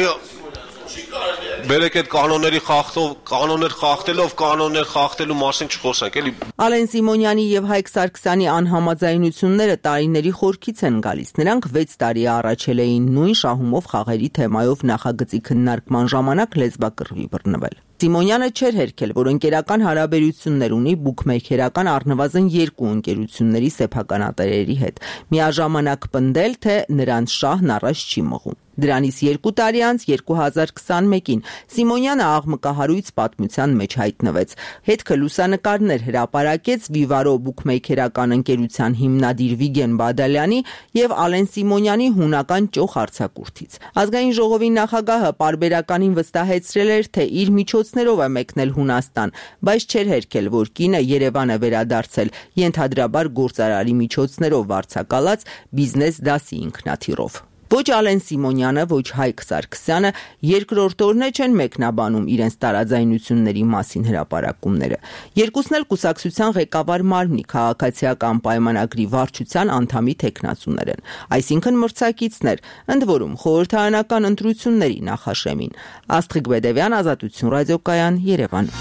S9: բերեք այդ կանոնների խախտով, կանոններ խախտելով, կանոններ խախտելու մասին չխոսենք, էլի։
S7: Ալեն Սիմոնյանի եւ Հայկ Սարգսյանի անհամաձայնությունները տարիների խորքից են գալիս։ Նրանք վեց տարի առաջել էին նույն շահումով խաղերի թեմայով նախագծի քննարկման ժամանակ լեզվակռվի բռնվել։ Սիմոնյանը չէր հերքել, որ ընկերական հարաբերություններ ունի բուքմեյքերական առնվազն երկու ընկերությունների սեփականատերերի հետ։ Միաժամանակ պնդել, թե նրանց շահն առաջ չի մղում։ Դրանից երկու տարի անց երկու հազար քսանմեկին Սիմոնյանը աղմկահարույց պատմության մեջ հայտնվեց։ Հետքը լուսանկարներ հրապարակեց Վիվարո բուքմեյքերական ընկերության հիմնադիր Վիգեն Բադալյանի եւ Ալեն Սիմոնյանի հունական ճոխ արձակուրդից։ Ազգային ժողովի նախագահը պարբերականին վստահեցրել էր, թե իր միջոցներով է մեկնել Հունաստան, բայց չէր հերքել, որ կինը Երևան է վերադարձել ենթադրաբար գործարարի միջոցներով վարձակալած բիզնես դասի ինքնաթիռով։ Ոչ Ալեն Սիմոնյանը, ոչ Հայկ Սարգսյանը երկրորդ օրն չեն մեկնաբանում իրենց տարաձայնությունների մասին հրապարակումները։ Երկուսն էլ կուսակցության ղեկավար մարմնի քաղաքացիական պայմանագրի վարչության անդամի թեկնածուներ են, այսինքն մրցակիցներ, ընդ որում խորհրդարանական ընտրությունների նախաշեմին։ Աստղիկ Բեդևյան, Ազատություն ռադիոկայան, Երևան։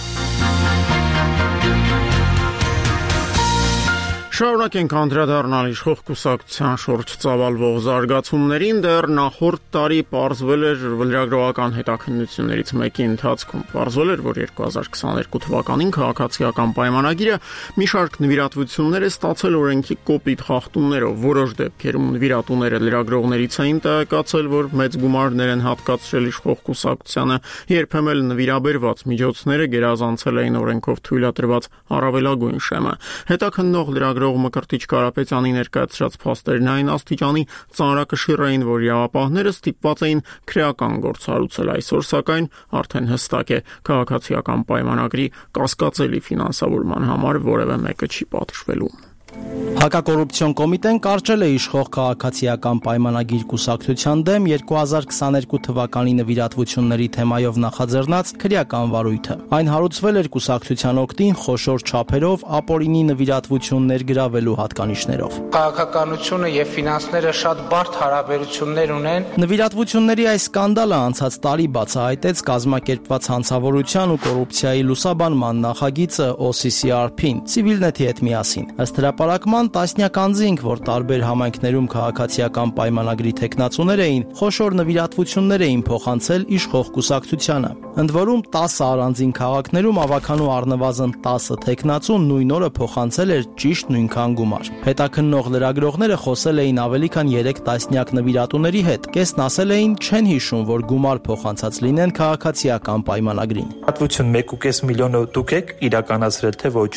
S1: Շարունակենք անդրադառնալ իշխող կուսակցության շուրջ ծավալվող զարգացումներին, դեռ նախորդ տարի պարզվել էր լրագրողական հետաքննություններից մեկի ընթացքում։ Պարզվել էր, որ երկու հազար քսաներկու թվականին քաղաքացիական պայմանագիրը մի շարք նվիրատվություններ է ստացել օրենքի կոպիտ խախտումներով։ Որոշ դեպքերում նվիրատուները լրագրողներից էին տեղեկացել, որ մեծ գումարներ են հատկացրել իշխող կուսակցությանը, երբեմն նվիրաբերված միջոցները գերազանցել էին օրենքով թույլատրված առավելագույն շեմը։ Հետաքննող լրագրող Մկրտիչ Կարապետյանի ներկայացրած փաստերն այն աստիճանի ծանրակշիռ էին, որ իրավապահները ստիպված էին քրեական գործ հարուցել։ Այսօր, սակայն, արդեն հստակ է, քաղաքացիական պայմանագրի կասկածելի ֆինանսավորման համար որևէ մեկը չի պատժվելու։
S10: Հակակոռուպցիոն կոմիտեն կարճել է իշխող քաղաքացիական պայմանագիր կուսակցության դեմ երկու հազար քսաներկու թվականի նվիրատվությունների թեմայով նախաձեռնած քրեական վարույթը։ Այն հարուցվել էր կուսակցության օգտին խոշոր չափերով ապօրինի նվիրատվություններ գրավելու հատկանիշներով։
S4: Քաղաքականությունը եւ ֆինանսները շատ բարդ հարաբերություններ ունեն։
S10: Նվիրատվությունների այս սկանդալը անցած տարի բացահայտեց կազմակերպված հանցավորության ու կոռուպցիայի լուսաբանման նախագիծը O C C R P-ին Civilnet-ի հետ միասին։ Ըստ հրապարակման տասնյակ անձինք, որ տարբեր համայնքներում քաղաքացիական պայմանագրի թեկնածուներ էին, խոշոր նվիրատվություններ էին փոխանցել իշխող կուսակցությանը։ Ընդ որում տասը առանձին քաղաքներում ավականու առնվազն տասը թեկնածուն նույն օրը փոխանցել էր ճիշտ նույնքան գումար։ Հետաքննող լրագրողները խոսել էին ավելի քան երեք տասնյակ նվիրատուների հետ։ Կեսն ասել էին չեն հիշում, որ գումար փոխանցած լինեն քաղաքացիական պայմանագրին։
S11: Հատվություն մեկ ու կես միլիոնը դուք եք իրականացրել, թե ոչ։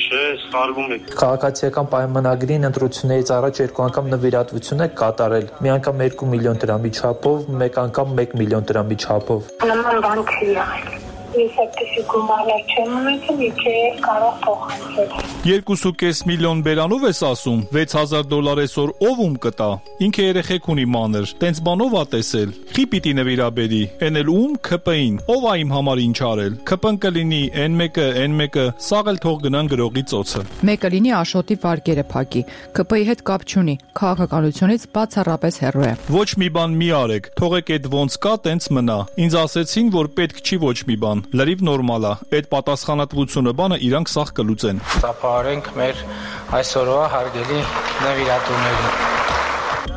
S11: Չէ, սխալվում եք։ Քաղաքացիական պայմանագրին ընտրություններից առաջ երկու անգամ նվիրատվություն եք կատարել։ Մի անգամ երկու միլիոն դրամի չափով, մեկ անգամ մեկ միլիոն դրամի չափով։
S12: Նման բան չի եղել։ Ես այդպիսի գումարներ չեմ ունեցել, իթե կարող փոխանցել։
S13: երկու ու կես միլիոն բերանով ես ասում, վեց հազար դոլար այսօր ով ում կտա։ Ինքը երեխեք ունի մանր, տենց բանով ա տեսել։ Խի պիտի նվիրաբերի, են էլ ում K P-ին, ով ա իմ համար ինչ արել։ K P-ն կլինի N մեկը, N մեկը, սաղ էլ թող գնան գրողի ծոցը։
S14: Մեկը լինի Աշոտի վարկերը փակի, K P-ի հետ կապ չունի, քաղաքականությունից բացառապես հեռու է։
S13: Ոչ մի բան մի արեք, թողեք այդ ոնց կա, տենց մնա։ Ինձ ասեցին, որ պետք չի ոչ մի բան։ Լրիվ նորմալ է, այդ պատասխանատվությունը բանը իրանք սաղ կլուծեն։
S4: Ծափահարենք մեր այսօրվա հարգելի նվիրատուներին։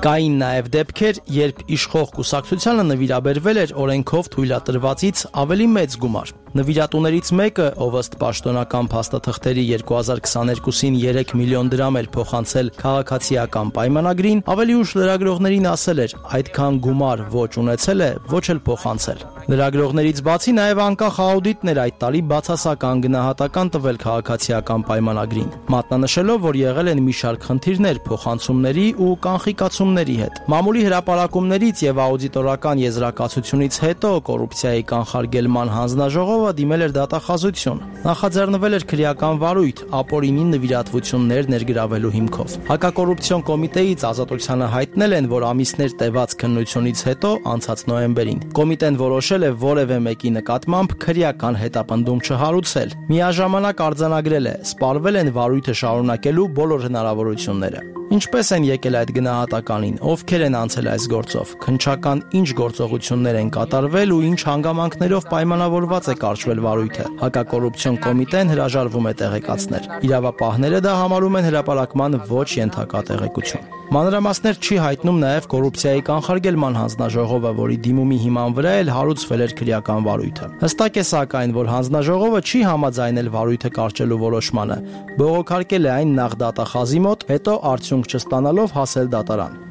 S10: Կային նաև դեպքեր, երբ իշխող կուսակցությանը նվիրաբերվել էր օրենքով թույլատրվածից ավելի մեծ գումար։ Նվիրատուներից մեկը, ով ըստ պաշտոնական փաստաթղթերի երկու հազար քսաներկուսին երեք միլիոն դրամ էր փոխանցել քաղաքացիական պայմանագրին, ավելի ուշ լրագրողներին ասել էր, այդքան գումար ոչ ունեցել է, ոչ էլ փոխանցել։ Լրագրողներից բացի նաև անկախ աուդիտն էր այդ տարի բացասական գնահատական տվել քաղաքացիական պայմանագրին, մատնանշելով, որ եղել են մի շարք խնդիրներ փոխանցումների ու կանխիկացումների հետ։ Մամուլի հրապարակումներից եւ աուդիտորական եզրակացությունից հետո կոռուպցիայի կանխարգելման հանձնաժողովը դիմել էր դատախազություն։ Նախաձեռնվել էր քրեական վարույթ ապօրինի նվիրատվություններ ներգրավելու հիմքով։ Հակակոռուպցիոն կոմիտեից Ազատությանը հայտնել են, որ ամիսներ տևած քննությունից հետո անցած նոյեմբերին կոմիտեն որոշել է որևէ մեկի նկատմամբ քրեական հետապնդում չհարուցել։ Միաժամանակ արձանագրել է, սպառվել են վարույթը շարունակելու բոլոր հնարավորությունները։ Ինչպես են եկել այդ գնահատականին, ովքեր են անցել այս գործով, քննչական ինչ գործողություններ են կատարվել ու ինչ հանգամանքներով պայմանավորված է կարճվել վարույթը։ Հակակոռուպցիոն կոմիտեն հրաժարվում է տեղեկացնել։ Իրավապահները դա համարում են հրապարակման ոչ ենթակա տեղեկություն։ Մանրամասներ չի հայտնում նաև կոռուպցիայի կանխարգելման հանձնաժողովը, որի դիմումի հիման վրա էլ հարուցվել էր քրեական վարույթը։ Հստակ է սակայն, որ հանձնաժողովը չի համաձայնել վարույթը կարճելու որոշմանը, բողոքարկել է այն նախ դատախազի մոտ, հետո արդյունք չստանալով հասել դատարան։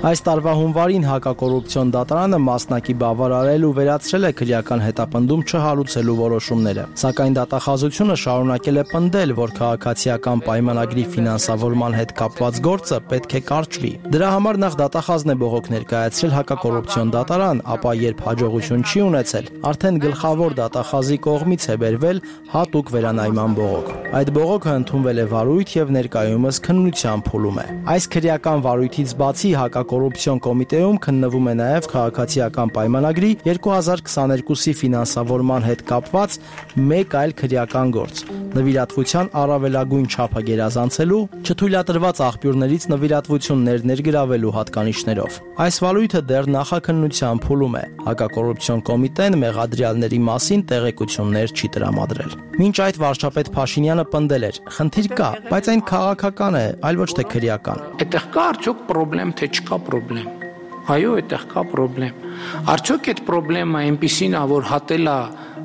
S10: Այս տարվա հունվարին հակակոռուպցիոն դատարանը մասնակի բավարարել ու վերացրել է քրեական հետապնդում չհարուցելու որոշումները, սակայն դատախազությունը շարունակել է պնդել, որ քաղաքացիական պայմանագրի ֆինանսավորման հետ կապված գործը պետք է կարճվի։ Դրա համար նախ դատախազն է բողոք ներկայացրել հակակոռուպցիոն դատարան, ապա երբ հաջողություն չի ունեցել, արդեն գլխավոր դատախազի կողմից է բերվել հատուկ վերանայման բողոք։ Այդ բողոքը ընդունվել է վարույթ եւ ներկայումս քննության փուլում է։ Այս քրեական վարույթից բացի հակակոռուպցիոն կոմիտեում քննվում է նաև քաղաքացիական պայմանագրի երկու հազար քսաներկուսի ֆինանսավորման հետ կապված մեկ այլ քրեական գործ։ նվիրատվության առավելագույն չափը գերազանցելու, չթույլատրված աղբյուրներից նվիրատվություններ ներգրավելու հատկանիշներով։ Այս վարույթը դեռ նախաքննության փուլում է։ Հակակոռուպցիոն կոմիտեն մեղադրյալների մասին տեղեկություններ չի տրամադրել։ Մինչ այդ վարչապետ Փաշինյանը պնդել էր. «Խնդիր կա, բայց այն քաղաքական է, այլ ոչ թե քրեական»։
S4: Այդտեղ կա արդյոք խնդրեմ, թե չկա խնդրեմ։ Այո, այդտեղ կա խնդրեմ։ Արդյոք այդ խնդրեմը այնպիսին է, որ հատել է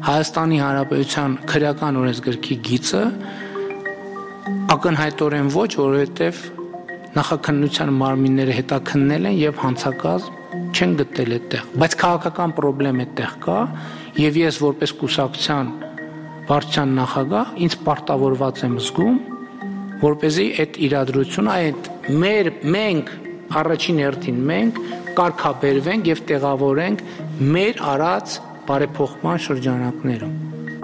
S4: Հայաստանի Հանրապետության քրեական օրենսգրքի գիծը, ակնհայտորեն ոչ, որովհետև նախաքննության մարմինները հետաքննել են եւ հանցակազմ չեն գտել այդտեղ, բայց քաղաքական խնդրեմ այդտեղ կա, եւ ես որպես կուսակցության վարչության նախագահ ինձ պարտավորված եմ զգում, որպեսզի այդ իրադրությունը, այդ մեր մենք առաջին հերթին մենք կարգաբերվենք եւ տեղավորենք մեր արած բարեփոխման շրջանակներում։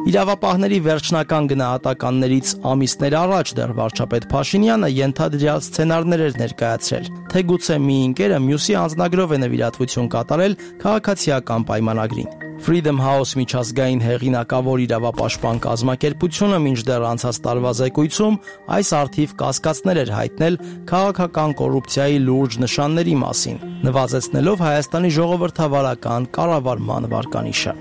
S10: Իրավապահների վերջնական գնահատականներից ամիսներ առաջ դեռ վարչապետ Փաշինյանը ենթադրյալ սցենարներ էր ներկայացրել, թե գուցե մի ընկերը մյուսի անձնագրով է նվիրատվություն կատարել քաղաքացիական պայմանագրին։ Freedom House միջազգային հեղինակավոր իրավապաշտպան կազմակերպությունը մինչդեռ անցած տարվա զեկույցում այս արդիվ կասկածներ էր հայտնել քաղաքական կոռուպցիայի լուրջ նշանների մասին, նվազեցնելով Հայաստանի ժողովրդավարական կառավարման վարկանիշը։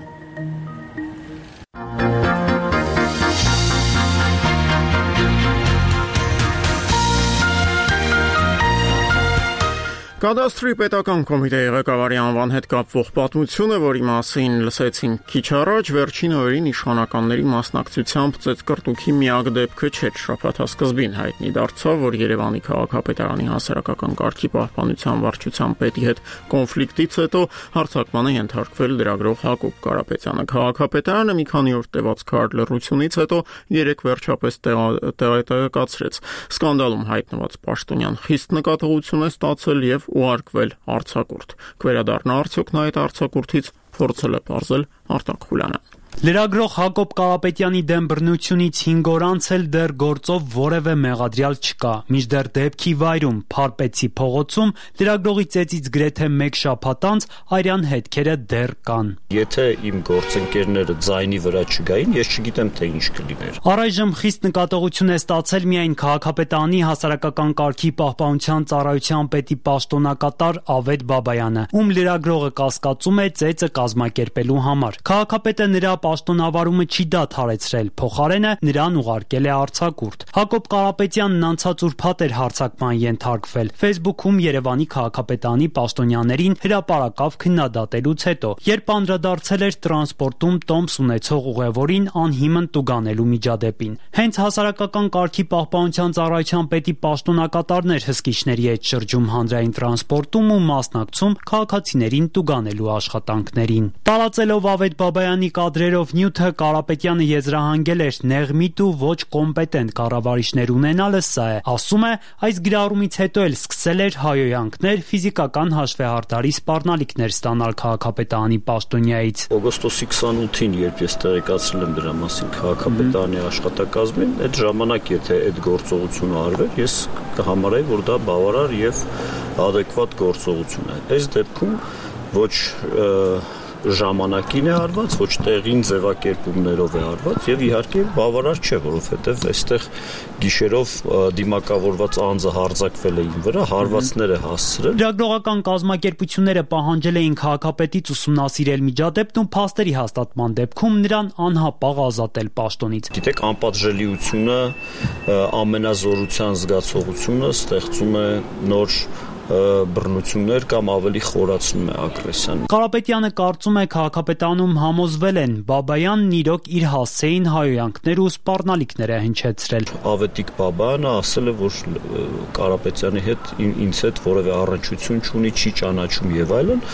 S1: Կադաստրի պետական կոմիտեի ղեկավարի անվան հետ կապվող պատմությունը, որի մասին լսեցինք քիչ առաջ, վերջին օրերին իշխանականների մասնակցությամբ ծեծկռտուքի միակ դեպքը չէր։ Շաբաթասկզբին հայտնի դարձավ, որ Երևանի քաղաքապետարանի հասարակական կարգի պահպանության վարչության պետի հետ կոնֆլիկտից հետո հարձակման է ենթարկվել լրագրող Հակոբ Կարապետյանը։ Քաղաքապետարանը մի քանի օր տևած քարտ լռությունից հետո երեք վերջապես տեղեկացրեց. սկանդալում հայտնված պաշտոնյան խիստ նկատողություն է ստացել եւ ուղարկվել արձակուրդ։ Կվերադառնա արդյոք նա այդ արձակուրդից, փորձել է պարզել Արտակ Խուլյանը։
S15: Լրագրող Հակոբ Կարապետյանի դեմ բռնությունից հինգ օր անց էլ դեռ գործով որևէ մեղադրյալ չկա։ Մինչդեռ դեպքի վայրում Փարպեցի փողոցում լրագրողի ծեծից գրեթե մեկ շաբաթ անց արյան հետքերը դեռ կան։
S16: Եթե իմ գործընկերները ձայնի վրա չգային, ես չգիտեմ թե ինչ կլիներ։
S15: Առայժմ խիստ նկատողություն է ստացել միայն քաղաքապետարանի հասարակական կարգի պահպանության ծառայության պետի պաշտոնակատար Ավետ Բաբայանը, ում լրագրողը կասկածում է ծեծը կազմակերպելու համար։ Քաղաքապետը նրա պաշտոնավարումը չի դադարեցրել, փոխարենը նրան ուղարկել է արձակուրդ։ Հակոբ Կարապետյանն անցած ուրբաթ էր հարձակման ենթարկվել Facebook-ում Երևանի քաղաքապետարանի պաշտոնյաներին հրապարակավ քննադատելուց հետո, երբ անդրադարձել էր տրանսպորտում տոմս ունեցող ուղևորին անհիմն տուգանելու միջադեպին։ Հենց հասարակական կարգի պահպանության ծառայության պետի պաշտոնակատարն էր հսկիչների հետ շրջում հանրային տրանսպորտում ու մասնակցում քաղաքացիներին տուգանելու աշխատանքներին։ Տարածելով Ավետ Բաբայանի կադրերով նյութը Կարապետյանը եզրահանգել էր նեղմիտ ու ոչ կոմպետենտ կառավարիչներ ունենալը սա է, ասում է, այս գրառումից հետո էլ սկսել էր հայոյանքներ, ֆիզիկական հաշվեհարդարի սպառնալիքներ ստանալ քաղաքապետարանի պաշտոնյայից։
S16: Օգոստոսի քսանութին, երբ ես տեղեկացրել եմ դրա մասին քաղաքապետարանի աշխատակազմին, այդ ժամանակ եթե այդ գործողությունը արվեր, ես կհամարայի, որ դա բավարար եւ adekvat գործողություն է։ Այս դեպքում ոչ ժամանակին է արված, ոչ տեղին ձևակերպումներով է արված եւ իհարկե բավարար չէ, որովհետեւ այստեղ գիշերով դիմակավորված անձը հարձակվել է իմ վրա, հարվածներ է հասցրել։
S15: Լրագրողական կազմակերպությունները պահանջել էին քաղաքապետից ուսումնասիրել միջադեպն ու փաստերի հաստատման դեպքում նրան անհապաղ ազատել պաշտոնից։
S16: Գիտեք, անպատժելիությունը, ամենազորության զգացողությունը ստեղծում է նոր բռնություններ կամ ավելի խորացնում է ագրեսիան։
S15: Կարապետյանը կարծում է քաղաքապետարանում համոզվել են Բաբայանն իրոք իր հասցեին հայոյանքներ ու սպառնալիքներ է հնչեցրել։
S16: Ավետիք Բաբայանը ասել է, որ Կարապետյանի հետ ինձ հետ որևէ առնչություն չունի, չի ճանաչում եւ այլն,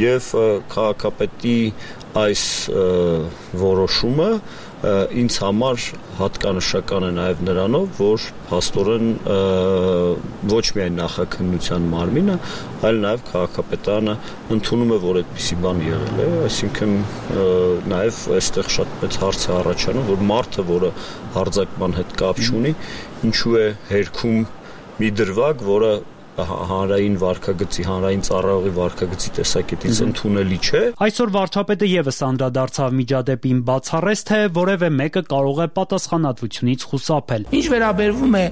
S16: եւ քաղաքապետի այս որոշումը ինձ համար հատկանշական է նաև նրանով, որ փաստորեն ոչ միայն նախաքննության մարմինը, այլ նաև քաղաքապետարանը ընդունում է, որ այդպիսի բան եղել է, այսինքն նաև այստեղ շատ մեծ հարց է առաջանում, որ մարդը, որը հարձակման հետ կապ չունի, ինչու է հերքում մի դրվագ, որը հանրային վարքագծի, հանրային ծառայողի վարքագծի տեսակետից ընդունելի չէ։
S15: Այսօր վարչապետը եւս անդրադարձավ միջադեպին, բացառեց, թե որևէ մեկը կարող է պատասխանատվությունից խուսափել։
S4: Ինչ վերաբերվում է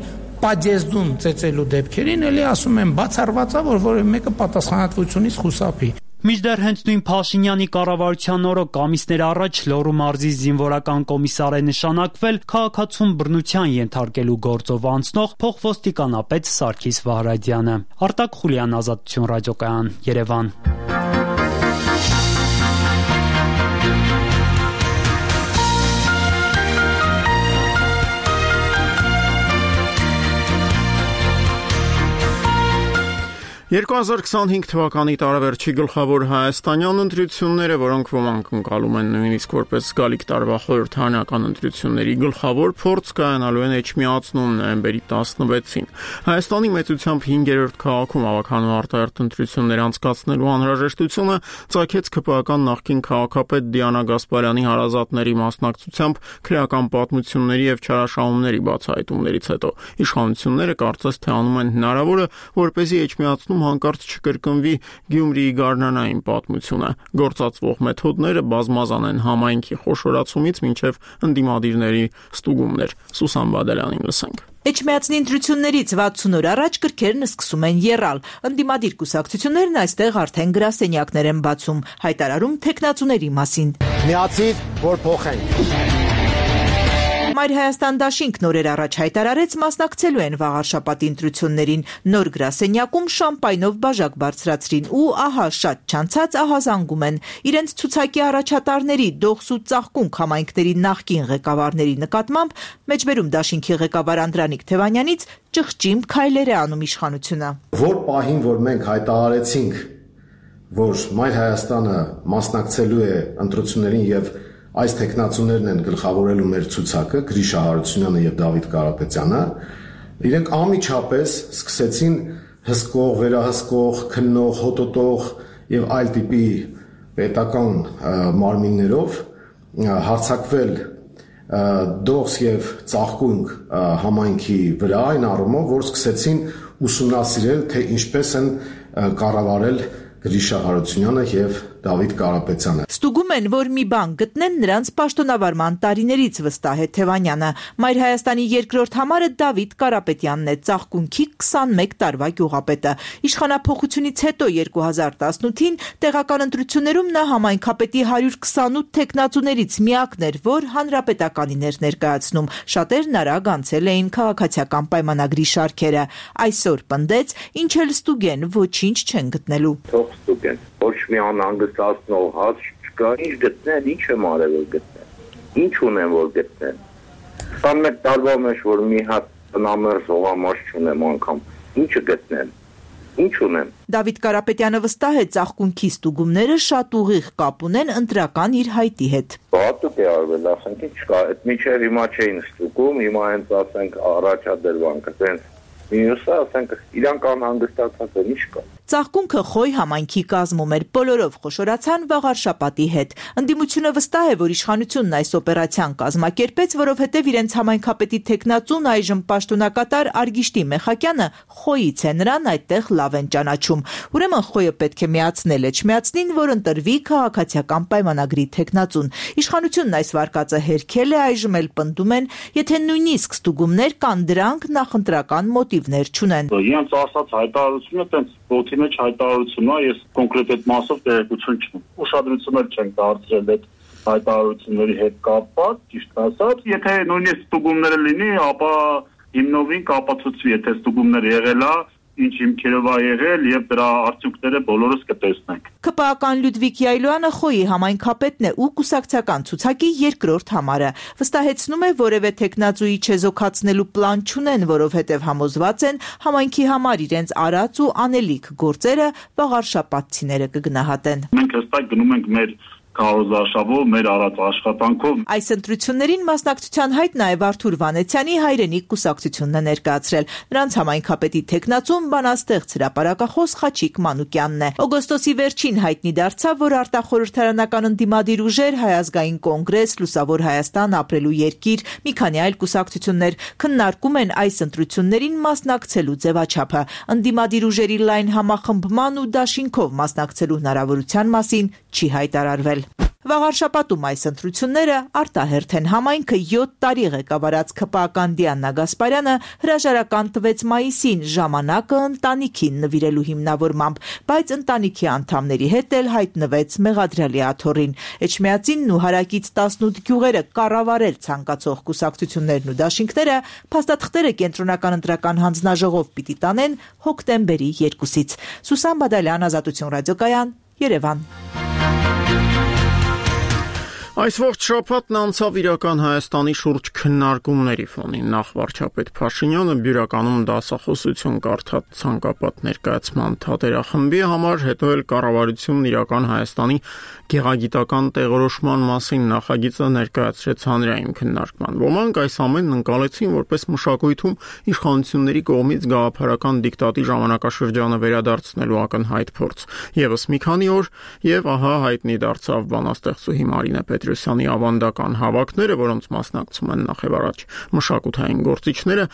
S4: պատեզդուն ծեծելու դեպքերին, ելի ասում եմ բացառված է, որ որևէ մեկը պատասխանատվությունից խուսափի։
S15: Մինչդեռ հենց նույն Փաշինյանի կառավարության օրոք ամիսներ առաջ Լոռու մարզի զինվորական կոմիսար է նշանակվել քաղաքացուն բռնության ենթարկելու գործով անցնող փոխոստիկանապետ Սարգիս Վահրադյանը։ Արտակ Խուլյան, Ազատություն ռադիոկայան, Երևան։
S1: երկու հազար քսանհինգ թվականի տարեվերջի գլխավոր հայաստանյան ընտրությունները, որոնք ոմանք ընկալում են նույնիսկ որպես գալիք տարվա խորհրդարանական ընտրությունների գլխավոր փորձ կայանալու են էջմիածնում նոյեմբերի տասնվեցին։ Հայաստանի մեծությամբ հինգերորդ քաղաքում ավականու արտահերթ ընտրություններ անցկացնելու անհրաժեշտությունը ծագեց ԿՊԱ-ական նախկին քաղաքապետ Դիանա Գասպարյանի հարազատների մասնակցությամբ քրեական պատմությունների եւ չարաշահումների բացահայտումներից հետո։ Իշխանությունները կարծես թե անում են հնարավորը, որպեսզի էջմիածնում հանկարծ չկրկնվի Գյումրիի գարնանային պատմությունը։ Գործածվող մեթոդները բազմազան են համայնքի խոշորացումից մինչև ընդդիմադիրների ստուգումներ։ Սուսան Բադալյանին լսենք։
S3: Էջմիածնի ընտրություններից վաթսուն օր առաջ կրքերն սկսում են եռալ։ Ընդդիմադիր կուսակցություններն այստեղ արդեն գրասենյակներ են բացում, հայտարարում թեկնածուների մասին։
S17: Միացիր, որ փոխենք։
S3: Մայր Հայաստան դաշինքն օրեր առաջ հայտարարեց մասնակցելու են վաղ շաբաթի ընտրություններին։ Նոր գրասենյակում շամպայնով բաժակ բարձրացրին ու ահա շատ չանցած ահազանգում են։ Իրենց ցուցակի առաջատարների դողս ու ծաղկունք համայնքների նախկին ղեկավարների նկատմամբ մեջբերում դաշինքի ղեկավար Անդրանիկ Թևանյանից ճղճիմ քայլեր է անում իշխանությունը։
S17: Որ պահին, որ մենք հայտարարեցինք, որ Մայր Հայաստանը մասնակցելու է ընտրություններին եւ այս տեխնացուներն են գլխավորելու մեր ցուցակը, Գրիշա Հարությունյանը եւ Դավիթ Կարապետյանը, իրենք անմիջապես սկսեցին հսկող, վերահսկող, քննող, հոտոտող եւ այլ տիպի պետական մարմիններով հարձակվել դողս եւ ծաղկունք համայնքի վրա, այն առումով, որ սկսեցին ուսումնասիրել, թե ինչպես են կառավարել Գրիշա Հարությունյանը եւ Դավիթ Կարապետյանը։
S3: Ստուգում են, որ մի բան գտնեն նրանց պաշտոնավարման տարիներից, վստահ է Թևանյանը։ Մայր Հայաստանի երկրորդ համարը Դավիթ Կարապետյանն է, ծաղկունքի քսանմեկ տարվա գյուղապետը։ Իշխանափոխությունից հետո երկու հազար տասնութին տեղական ընտրություններում նա համայնքապետի հարյուր քսանութ թեկնածուներից միակն էր, որ հանրապետականին էր ներկայացնում։ Շատերն արագ անցել էին քաղաքացիական պայմանագրի շարքերը։ Այսօր պնդեց, ինչ էլ ստուգեն, ոչինչ չեն գտնելու։
S18: Թող ստուգեն, ոչ մի անհանգստացնող հաց չկա, ինչ գտնեն, ինչ եմ արել որ գտնեն, ինչ ունեմ որ գտնեն։ քսանմեկ տարվա մեջ որ մի հատ տնամերձ հողամաս չունեմ անգամ, ինչը գտնեն, ինչ ունեմ։
S3: Դավիթ Կարապետյանը վստահ է, ծաղկունքի ստուգումները շատ ուղիղ կապ ունեն ընտրական իր հայտի հետ։
S18: Բաթուկ է արվել, ասենք ինչ կա, այդ միջև հիմա չէին ստուգում, հիմա հենց ասենք առաջադրվանքը, տենց մյուսը ասենք իրանք անհանգստացած են, ինչ կա։
S3: Ծաղկունքը Խոյ համայնքի կազմում էր, բոլորով խոշորացան վաղարշապատի հետ։ Ընդդիմությունը վստահ է, որ իշխանությունն այս օպերացիան կազմակերպեց, որովհետև իրենց համայնքապետի թեկնածուն այժմ պաշտոնակատար Արգիշտի Մեխակյանը Խոյից է, նրան այդտեղ լավ են ճանաչում։ Ուրեմն Խոյը պետք է միացնել Էջմիածնին, որ ընտրվի քաղաքացիական պայմանագրի թեկնածուն։ Իշխանությունն այս վարկածը հերքել է, այժմ էլ պնդում են, եթե նույնիսկ ստուգումներ կան, դրանք նախընտրական մոտիվներ չունեն։
S19: Իրենց ասած հայտարարությունը տենց ոտի մեջ հայտարարությունն է, ես կոնկրետ այդ մասով տեղեկություն չունեմ։ Ուշադրություններ չեն դարձրել այդ հայտարարությունների հետ կապված, ճիշտ ասած, եթե նույնիսկ ստուգումները լինի, ապա հիմնովին կապացուցվի, եթե ստուգումներ եղել է, ինչ հիմքերով է եղել եւ դրա արդյունքները բոլորս կտեսնենք։
S3: ԿՊԱ-ական Լյուդվիգ Յայլոյանը Խոյի համայնքապետն է ու կուսակցական ցուցակի երկրորդ համարը։ Վստահեցնում է, որևէ տեխնացուի չեզոքացնելու պլան չունեն, որովհետև համոզված են համայնքի համար իրենց արած ու անելիք գործերը վաղարշապատցիները կգնահատեն։
S19: Մենք հստակ գնում ենք մեր քարոզարշավով, մեր արած աշխատանքով։
S20: Այս ընտրություններին մասնակցության հայտ նաև Արթուր Վանեցյանի հայրենիք կուսակցությունն է ներկայացրել։ Նրանց համայնքապետի թեկնածուն բանաստեղծ հրապարակախոս Խաչիկ Մանուկյանն է։ Օգոստոսի վերջին հայտնի դարձավ, որ արտախորհրդարանական ընդդիմադիր ուժեր, Հայ ազգային կոնգրես, Լուսավոր Հայաստան, Ապրելու երկիր, մի քանի այլ կուսակցություններ քննարկում են այս ընտրություններին մասնակցելու ձևաչափը։ Ընդդիմադիր ուժերի լայն համախմբման ու դաշինքով մասնակցելու հնարավորության մասին չի հայտարարվել։ Վաղար շաբաթում այս ընտրությունները արտահերթ են։ Համայնքը յոթ տարի ղեկավարած ՔՊԱ-ական Դիանա Գասպարյանը հրաժարական տվեց մայիսին ժամանակը ընտանիքին նվիրելու հիմնավորմամբ, բայց ընտանիքի անդամների հետ էլ հայտնվեց մեղադրյալի աթոռին։ Էջմիածինն ու հարակից տասնութ գյուղերը կառավարել ցանկացող կուսակցություններն ու դաշինքները փաստաթղթերը կենտրոնական ընտրական հանձնաժողով պիտի տանեն հոկտեմբերի երկուսից։ Սուսան Բադալյան, Ազատություն ռադիոկայան, Երևան։
S1: Այս ողջ շաբաթն անցավ իրական Հայաստանի շուրջ քննարկումների ֆոնին։ Նախ վարչապետ Փաշինյանը բյուրականում դասախոսություն կարդաց ցանկապատ ներկայացման թատերախմբի համար, հետո էլ կառավարությունն իրական Հայաստանի գեղագիտական տեղորոշման մասին նախագիծը ներկայացրեց հանրային քննարկման։ Ոմանք այս ամենն ընկալեցին որպես մշակույթում իշխանությունների կողմից գաղափարական դիկտատի ժամանակաշրջանը վերադարձնելու ակնհայտ փորձ։ Եվս մի քանի օր եւ ահա հայտնի դարձավ բանաստեղծուհի Մարինե Պետրոսյանի ավանդական հավաքները, որոնց մասնակցում են նախևառաջ մշակութային գործիչները։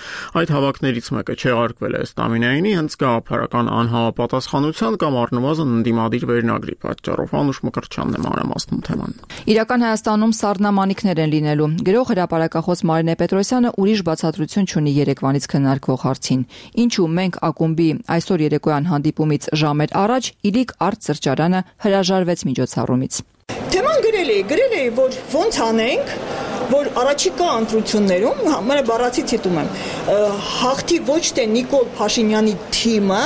S1: Այդ հավաքներից մեկը չեղարկվել է Ստամինայինի հենց գաղափարական անհամապատասխանության կամ առնվազն ընդդիմադիր վերնագրի պատճառով։ Անուշ Մկրտչյանն է մանրամասնում թեման։
S14: Իրական Հայաստանում սառնամանիքներ են լինելու։ Գրող հրապարակախոս Մարինե Պետրոսյանը ուրիշ բացատրություն չունի երեկվանից քննարկվող հարցին։ Ինչու մենք ակումբի այսօր երեկոյան հանդիպումից ժամեր առաջ իլիկ արտ սրճարանը հրաժարվեց միջոցառումից։
S21: Թեման գրել էի, գրել էի, որ ոնց անենք, որ առաջիկա ընտրություններում, մերը բառացի ցիտում եմ, հաղթի ոչ թե Նիկոլ Փաշինյանի թիմը,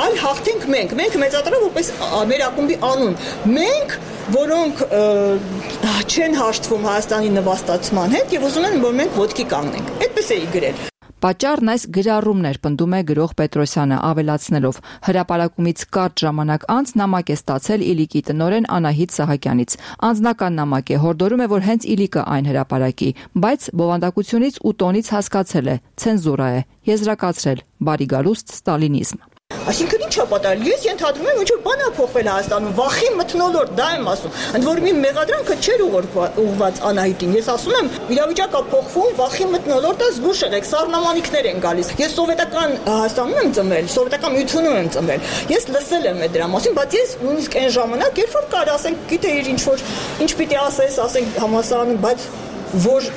S21: այլ հաղթենք մենք, մենք մեծատրը որպես մեր ակումբի անուն, մենք, որոնք չեն հաշտվում Հայաստանի նվաստացման հետ եւ ուզում են, որ մենք ոտքի կանգնենք, այդպես էի գրել։
S14: Պատճառն այս գրառումներ, պնդում է գրող Պետրոսյանը, ավելացնելով հրապարակումից կարճ ժամանակ անց նամակ է ստացել իլիկի տնօրեն Անահիտ Սահակյանից։ Անձնական նամակ է, հորդորում է, որ հենց իլիկը այն հրապարակի, բայց բովանդակությունից ու տոնից հասկացել է, ցենզուրա է, եզրակացրել, բարի գալուստ ստալինիզմ։
S21: Այսինքն ինչ է պատահել։ Ես ենթադրում եմ, ինչ որ բան է փոխվել Հայաստանում, վախի մթնոլորտ, դա եմ ասում։ Ընդ որում իմ մեղադրանքը չէր ուղղված Անահիտին։ Ես ասում եմ, իրավիճակը փոխվում, վախի մթնոլորտը զգուշ եղեք, սառնամանիքներ են գալիս։ Ես սովետական Հայաստանում եմ ծնվել, սովետական միությունում եմ ծնվել։ Ես լսել եմ այդ դրա մասին, բայց ես նույնիսկ այն ժամանակ, երբ որ կար, ասենք, գիտե իր ինչ որ ինչ պիտի ասես, ասենք համասարանում, բայց որ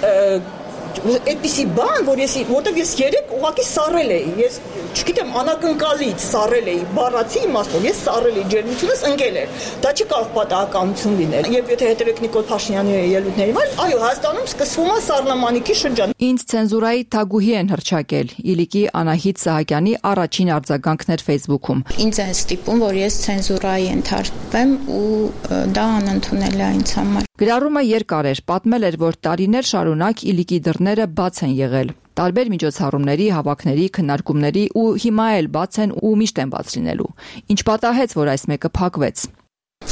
S21: այդպիսի բան, որ ես որտեղ ես երեք ուղղակի սառել էի, ես չգիտեմ անակնկալից սառել էի, բառացի իմաստով, ես սառել էի, ջերմությունս ընկել էր։ Դա չի կարող պատահականություն լինել։ Եվ եթե հետևեք Նիկոլ Փաշինյանի ելույթներին, այո, Հայաստանում սկսվում է սառնամանիքի շրջան։
S14: Ինձ ցենզուրայի թագուհի են հռչակել։ Իլիկի Անահիտ Սահակյանի առաջին արձագանքն էր Facebook-ում։
S22: Ինձ են ստիպում, որ ես ցենզուրայի ենթարկվեմ ու դա անընդունել է ինձ համար։
S14: Գրառումը երկար էր, պատմել էր, որ տարիներ շարունակ իլիկի դռները բաց են եղել։ Տարբեր միջոցառումների, հավաքների, քննարկումների ու հիմա էլ բաց են ու միշտ են բաց լինելու։ Ինչ պատահեց, որ այս մեկը փակվեց։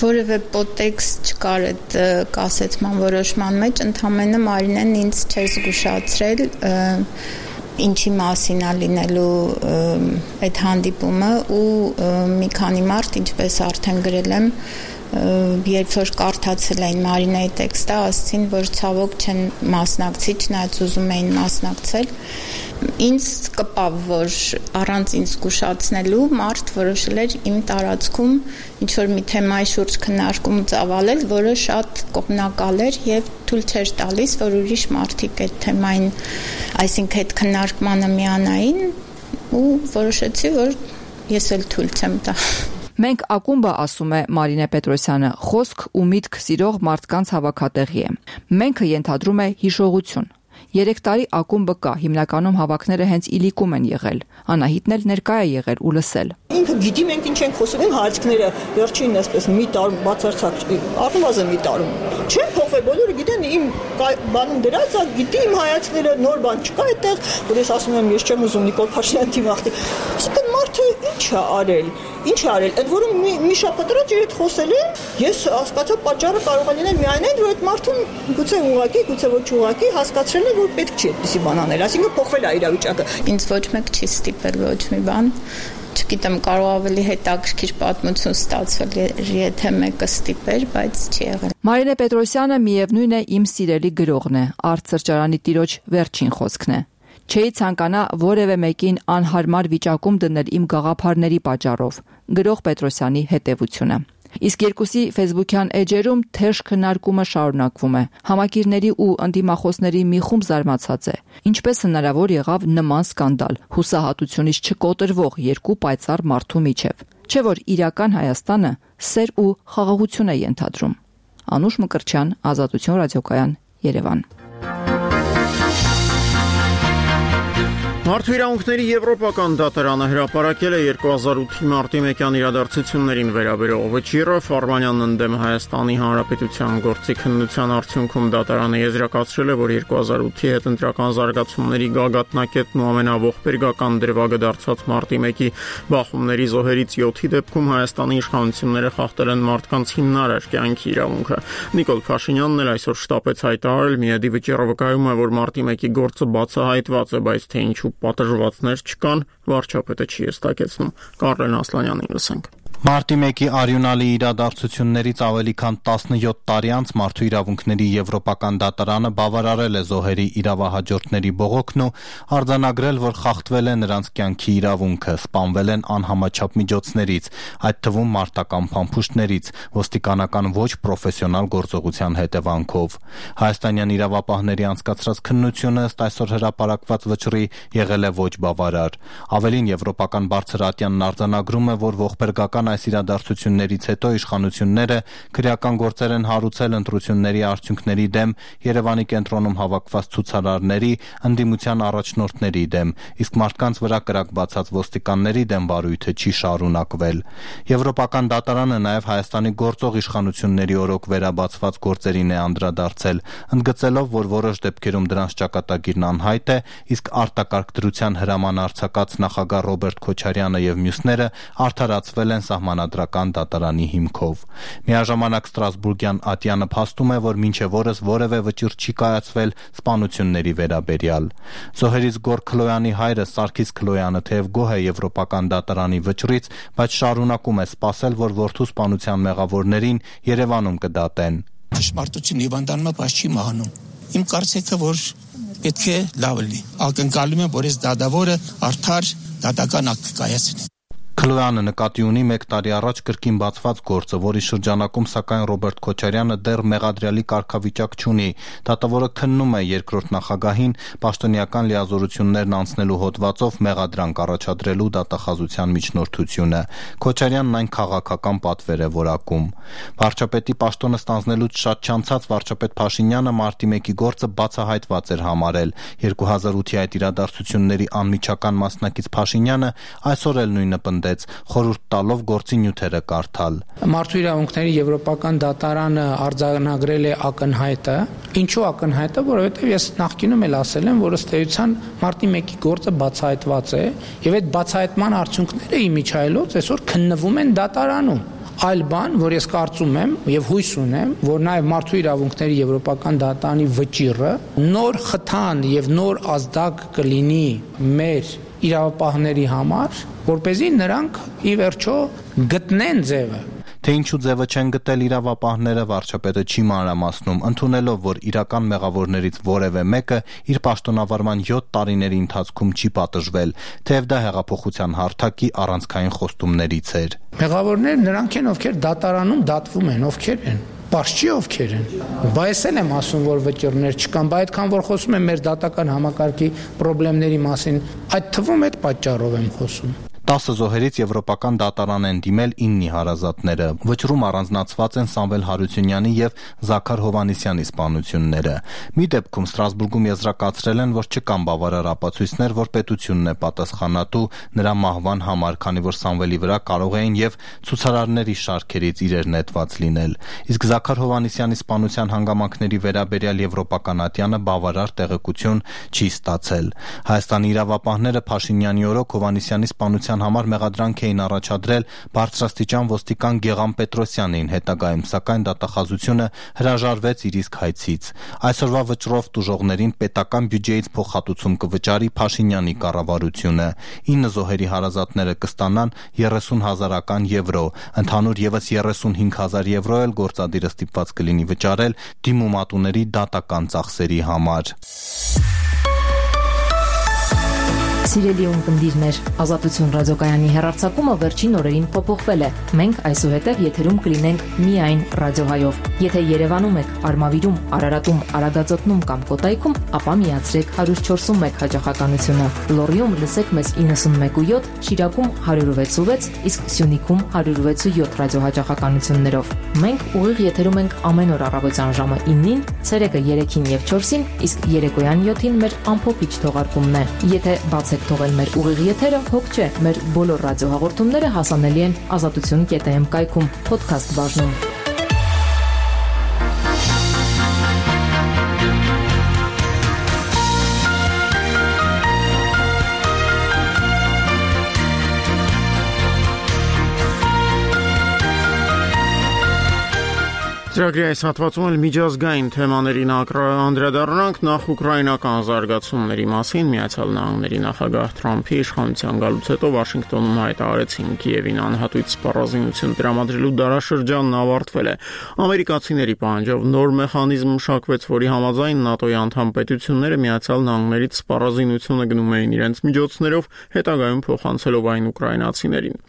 S22: Որևէ պոտեքստ չկար այդ կասեցման որոշման մեջ, ընդհանրապես Մարինեն ինձ չէր զգուշացրել ինչի մասին է լինելու այդ հանդիպումը ու մի քանի մարդ, ինչպես արդեն գրել եմ, երբ որ կարդացել էին Մարինեի տեքստը, ասացին, որ ցավոք չեն մասնակցի, չնայած ուզում էին մասնակցել։ Ինձ կպավ, որ առանց ինձ զգուշացնելու մարդ որոշել էր իմ տարածքում ինչ-որ մի թեմայի շուրջ քննարկում ծավալել, որը շատ կողմնակալ էր եւ թույլ չէր տալիս, որ ուրիշ մարդիկ այդ թեմային, այսինքն այդ քննարկմանը միանային ու որոշեցի, որ ես էլ թույլ չեմ տա։
S14: Մենք ակումբը, ասում է Մարինե Պետրոսյանը, խոսք ու միտք սիրող մարդկանց հավաքատեղի է։ Մենքը ենթադրում է հիշողություն։ Երեք տարի ակումբը կա, հիմնականում հավաքները հենց իլիկում են եղել։ Անահիտն էլ ներկա է եղել ու լսել։
S21: Ինքը գիտի մենք ինչ ենք խոսում, իմ հայացքները վերջին այսպես մի տարում բացարձակ առնվազն մի տարում չեն փոխվել, բոլորը գիտեն իմ բանում դրած է, գիտի իմ հայացքները, նոր բան չկա այդտեղ, որ ես ասում եմ ես չեմ ուզում Նիկոլ Փաշինյանի թիմախտի։ Այսինքն մարդը ինչ ինչ է արել, ինչ է արել։ Այդ որում մի, մի շաբաթ առաջ իր հետ խոսել եմ, ես հասկացա պատճառը կարող է լինել միայն այն, որ այդ մարդուն գուցե ուղղակի, գուցե ոչ ուղղակի հասկացրել է, որ պետք չի այդպիսի բան անել, այսինքն փոխվել է իրավիճակը։
S22: Ինձ ոչ մեկ չի ստիպել ոչ մի բան։ Չգիտեմ, կարող ավելի հետաքրքիր պատմություն ստացվել, եթե մեկը ստիպեր, բայց չի եղել։
S14: Մարինե Պետրոսյանը միևնույն է իմ սիրելի գրողն է, արտսրճարանի տիրոջ վերջին խոսքն է։ Չէի ցանկանա որևէ մեկին անհարմար վիճակում դնել իմ գաղափարների պատճառով։ Գրող Պետրոսյանի հետևությունը։ Իսկ երկուսի ֆեյսբուքյան էջերում թեժ քննարկումը շարունակվում է։ Համակիրների ու ընդդիմախոսների մի խումբ զարմացած է։ Ինչպես հնարավոր եղավ նման սկանդալ, հուսահատությունից չկոտրվող երկու պայծառ մարդու միջև։ Չէ՞ որ իրական Հայաստանը սեր ու խաղաղություն է ենթադրում։ Անուշ Մկրտչյան, Ազատություն ռադիոկայան, Երևան։
S1: Մարդու իրավունքների եվրոպական դատարանը հրապարակել է երկու հազար ութի մարտի մեկյան իրադարձություններին վերաբերող վճիռը։ Ֆարմանյանն ընդդեմ Հայաստանի Հանրապետության գործի քննության արդյունքում դատարանը եզրակացրել է, որ երկու հազար ութի հետընտրական զարգացումների գագաթնակետն ու ամենաողբերգական դրվագը դարձած մարտի մեկի բախումների զոհերից յոթի դեպքում Հայաստանի իշխանությունները խախտել են մարդկանց հիմնարար կյանքի իրավունքը։ Նիկոլ Փաշինյանն էլ այսօր շտապեց հայտարարել, միեդի վճիռը վկայում է, որ մարտի մեկի գործը բացահայտված է, բայց թե ինչու պատժվածներ չկան, վարչապետը չի հստակեցնում։ Կարլեն Ասլանյանին լսենք։
S2: Մարտի մեկի արյունալի իրադարձություններից ավելի քան տասնյոթ տարի անց Մարդու իրավունքների եվրոպական դատարանը բավարարել է զոհերի իրավահաջորդների բողոքն ու արձանագրել, որ խախտվել է նրանց կյանքի իրավունքը, սպանվել են անհամաչափ միջոցներից, այդ թվում մարտական փամփուշտներից, ոստիկանական ոչ պրոֆեսիոնալ գործողության հետևանքով։ Հայաստանյան իրավապահների անցկացրած քննությունը ըստ այսօր հրապարակված վճռի եղել է ոչ բավարար։ Ավելին, Եվրոպական բարձր ատյանն արձանագրում է, որ ողբերգական այս իրադարձություններից հետո իշխանությունները քրեական գործեր են հարուցել ընտրությունների արդյունքների դեմ, Երևանի կենտրոնում հավաքված ցուցարարների, ընդդիմության առաջնորդների դեմ, իսկ մարդկանց վրա կրակ բացած ոստիկանների դեմ վարույթը չի շարունակվել։ Եվրոպական դատարանը նաև Հայաստանի գործող իշխանությունների օրոք վերաբացված գործերին է անդրադարձել, ընդգծելով, որ որոշ դեպքերում դրանց ճակատագիրն անհայտ է, իսկ արտակարգ դրության հրաման արձակած նախագահ Ռոբերտ Քոչարյանը եւ մյուսները արդարացվել են Սահմանադրական դատարանի հիմքով։ Միաժամանակ Ստրասբուրգյան ատյանը փաստում է, որ մինչև օրս որևէ վճիռ չի կայացվել սպանությունների վերաբերյալ։ Զոհերից Գոր Քլոյանի հայրը Սարգիս Քլոյանը թեև գոհ է Եվրոպական դատարանի վճռից, բայց շարունակում է սպասել, որ որդու սպանության մեղավորներին Երևանում կդատեն։
S6: Ճշմարտություն հիվանդանումը բայց չի մահանում։ Իմ կարծիքը, որ պետք է լավ լինի։ Ակնկալում եմ, որ այս դատավորը արդար դատական ակտ կայացնի։
S2: Քլոյանը նկատի ունի մեկ տարի առաջ կրկին բացված գործը, որի շրջանակում սակայն Ռոբերտ Քոչարյանը դեռ մեղադրյալի կարգավիճակ չունի։ Դատավորը քննում է երկրորդ նախագահին պաշտոնյական լիազորություններն անցնելու հոդվածով մեղադրանք առաջադրելու դատախազության միջնորդությունը։ Քոչարյանն այն քաղաքական պատվեր է որակում։ Վարչապետի պաշտոնը ստանձնելուց շատ չանցած վարչապետ Փաշինյանը մարտի մեկի գործը բացահայտված էր համարել։ երկու հազար ութի այդ իրադարձությունների անմիջական մասնակից Փաշինյանը այսօր էլ նույնը պնդեց, խորհուրդ տալով գործի նյութերը կարդալ։
S4: Մարդու իրավունքների եվրոպական դատարանը արձանագրել է ակնհայտը։ Ինչու ակնհայտը, որովհետև ես նախկինում էլ ասել եմ, որ ըստ էության մարտի մեկի գործը բացահայտված է, եւ այդ բացահայտման արդյունքները իմիջայլոց այսօր քննվում են դատարանում։ Այլ բան, որ ես կարծում եմ եւ հույս ունեմ, որ նաեւ մարդու իրավունքների եվրոպական դատարանի վճիռը նոր խթան եւ նոր ազդակ կլինի մեր իրավապահների համար, որպեսզի նրանք ի վերջո գտնեն ձևը։
S2: Թե ինչու ձևը չեն գտել իրավապահները, վարչապետը չի մանրամասնում, ընդունելով, որ իրական մեղավորներից որևէ մեկը իր պաշտոնավարման յոթ տարիների ընթացքում չի պատժվել, թեև դա հեղափոխության հարթակի առանցքային խոստումներից էր։
S4: Մեղավորները նրանք են, ովքեր դատարանում դատվում են, ովքեր են։ Պարզ չի ովքեր են։ Բայց էլ եմ ասում, որ վճիռներ չկան, բայց այդքան որ խոսում եմ մեր դատական համակարգի խնդիրների մասին, այդ թվում այդ պատճառով եմ խոսում։
S2: տասը զոհերից Եվրոպական դատարան են դիմել իննի հարազատները։ Վճռում առանձնացված են Սամվել Հարությունյանի եւ Զաքար Հովհաննիսյանի սպանությունները։ Մի դեպքում Ստրասբուրգում եզրակացրել են, որ չկան բավարար ապացույցներ, որ պետությունն է պատասխանատու նրա մահվան համար, քանի որ Սամվելի վրա կարող էին եւ ցուցարարների շարքերից իրեր նետված լինել։ Իսկ Զաքար Հովհաննիսյանի սպանության հանգամանքների վերաբերյալ Եվրոպական ատյանը բավարար տեղեկություն չի ստացել։ Հայաստանի իրավապահները Փաշինյանի օրոք Հովհաննիսյանի սպանության կազմակերպման համար մեղադրանք էին առաջադրել բարձրաստիճան ոստիկան Գեղամ Պետրոսյանին, հետագայում սակայն դատախազությունը հրաժարվեց իր իսկ հայցից։ Այսօրվա վճռով տուժողներին պետական բյուջեից փոխհատուցում կվճարի Փաշինյանի կառավարությունը։ ինը զոհերի հարազատները կստանան երեսուն հազարական եվրո, ընդհանուր ևս երեսունհինգ հազար եվրո էլ գործադիրը ստիպված կլինի վճարել դիմումատուների դատական ծախսերի համար։
S5: Սիրելի ունկնդիրներ, Ազատություն ռադիոկայանի հեռարձակումը վերջին օրերին փոփոխվել է։ Մենք այսուհետև եթերում կլինենք միայն ռադիոհայով։ Եթե Երևանում եք, Արմավիրում, Արարատում, Արագածոտնում կամ Կոտայքում, ապա միացրեք հարյուր չորսուն մեկ հաճախականությունը։ Լոռիում լսեք մեզ իննսունմեկ ու յոթ, Շիրակում հարյուր վեց ու վեց, իսկ Սյունիքում հարյուր վեց ու յոթ ռադիոհաճախականություններով։ Մենք ուղիղ եթերում ենք ամեն օր առավոտյան ժամը իննին, ցերեկը երեքին եւ չորսին, իսկ երեկոյան յոթին մեր ամփոփիչ թողարկումն է։ Եթե բացեք թողել մեր ուղիղ եթերը, հոգ չէ, մեր բոլոր ռադիոհաղորդումները հասանելի են ազատություն կետ էմ կայքում, փոդքասթ բաժնում։
S1: Ծրագրի այս հատվածում էլ միջազգային թեմաներին անդրադառնանք, նախ ուկրաինական զարգացումների մասին։ Միացյալ Նահանգների նախագահ Թրամփի իշխանության գալուց հետո Վաշինգտոնում հայտարարեցին Կիևին անհատույց սպառազինություն տրամադրելու դարաշրջանն ավարտվել է։ Ամերիկացիների պահանջով նոր մեխանիզմ մշակվեց, որի համաձայն ՆԱՏՕ-ի անդամ պետությունները Միացյալ Նահանգներից սպառազինությունը գնում էին իրենց միջոցներով, հետագայում փոխանցելով այն ուկրաինացիներին։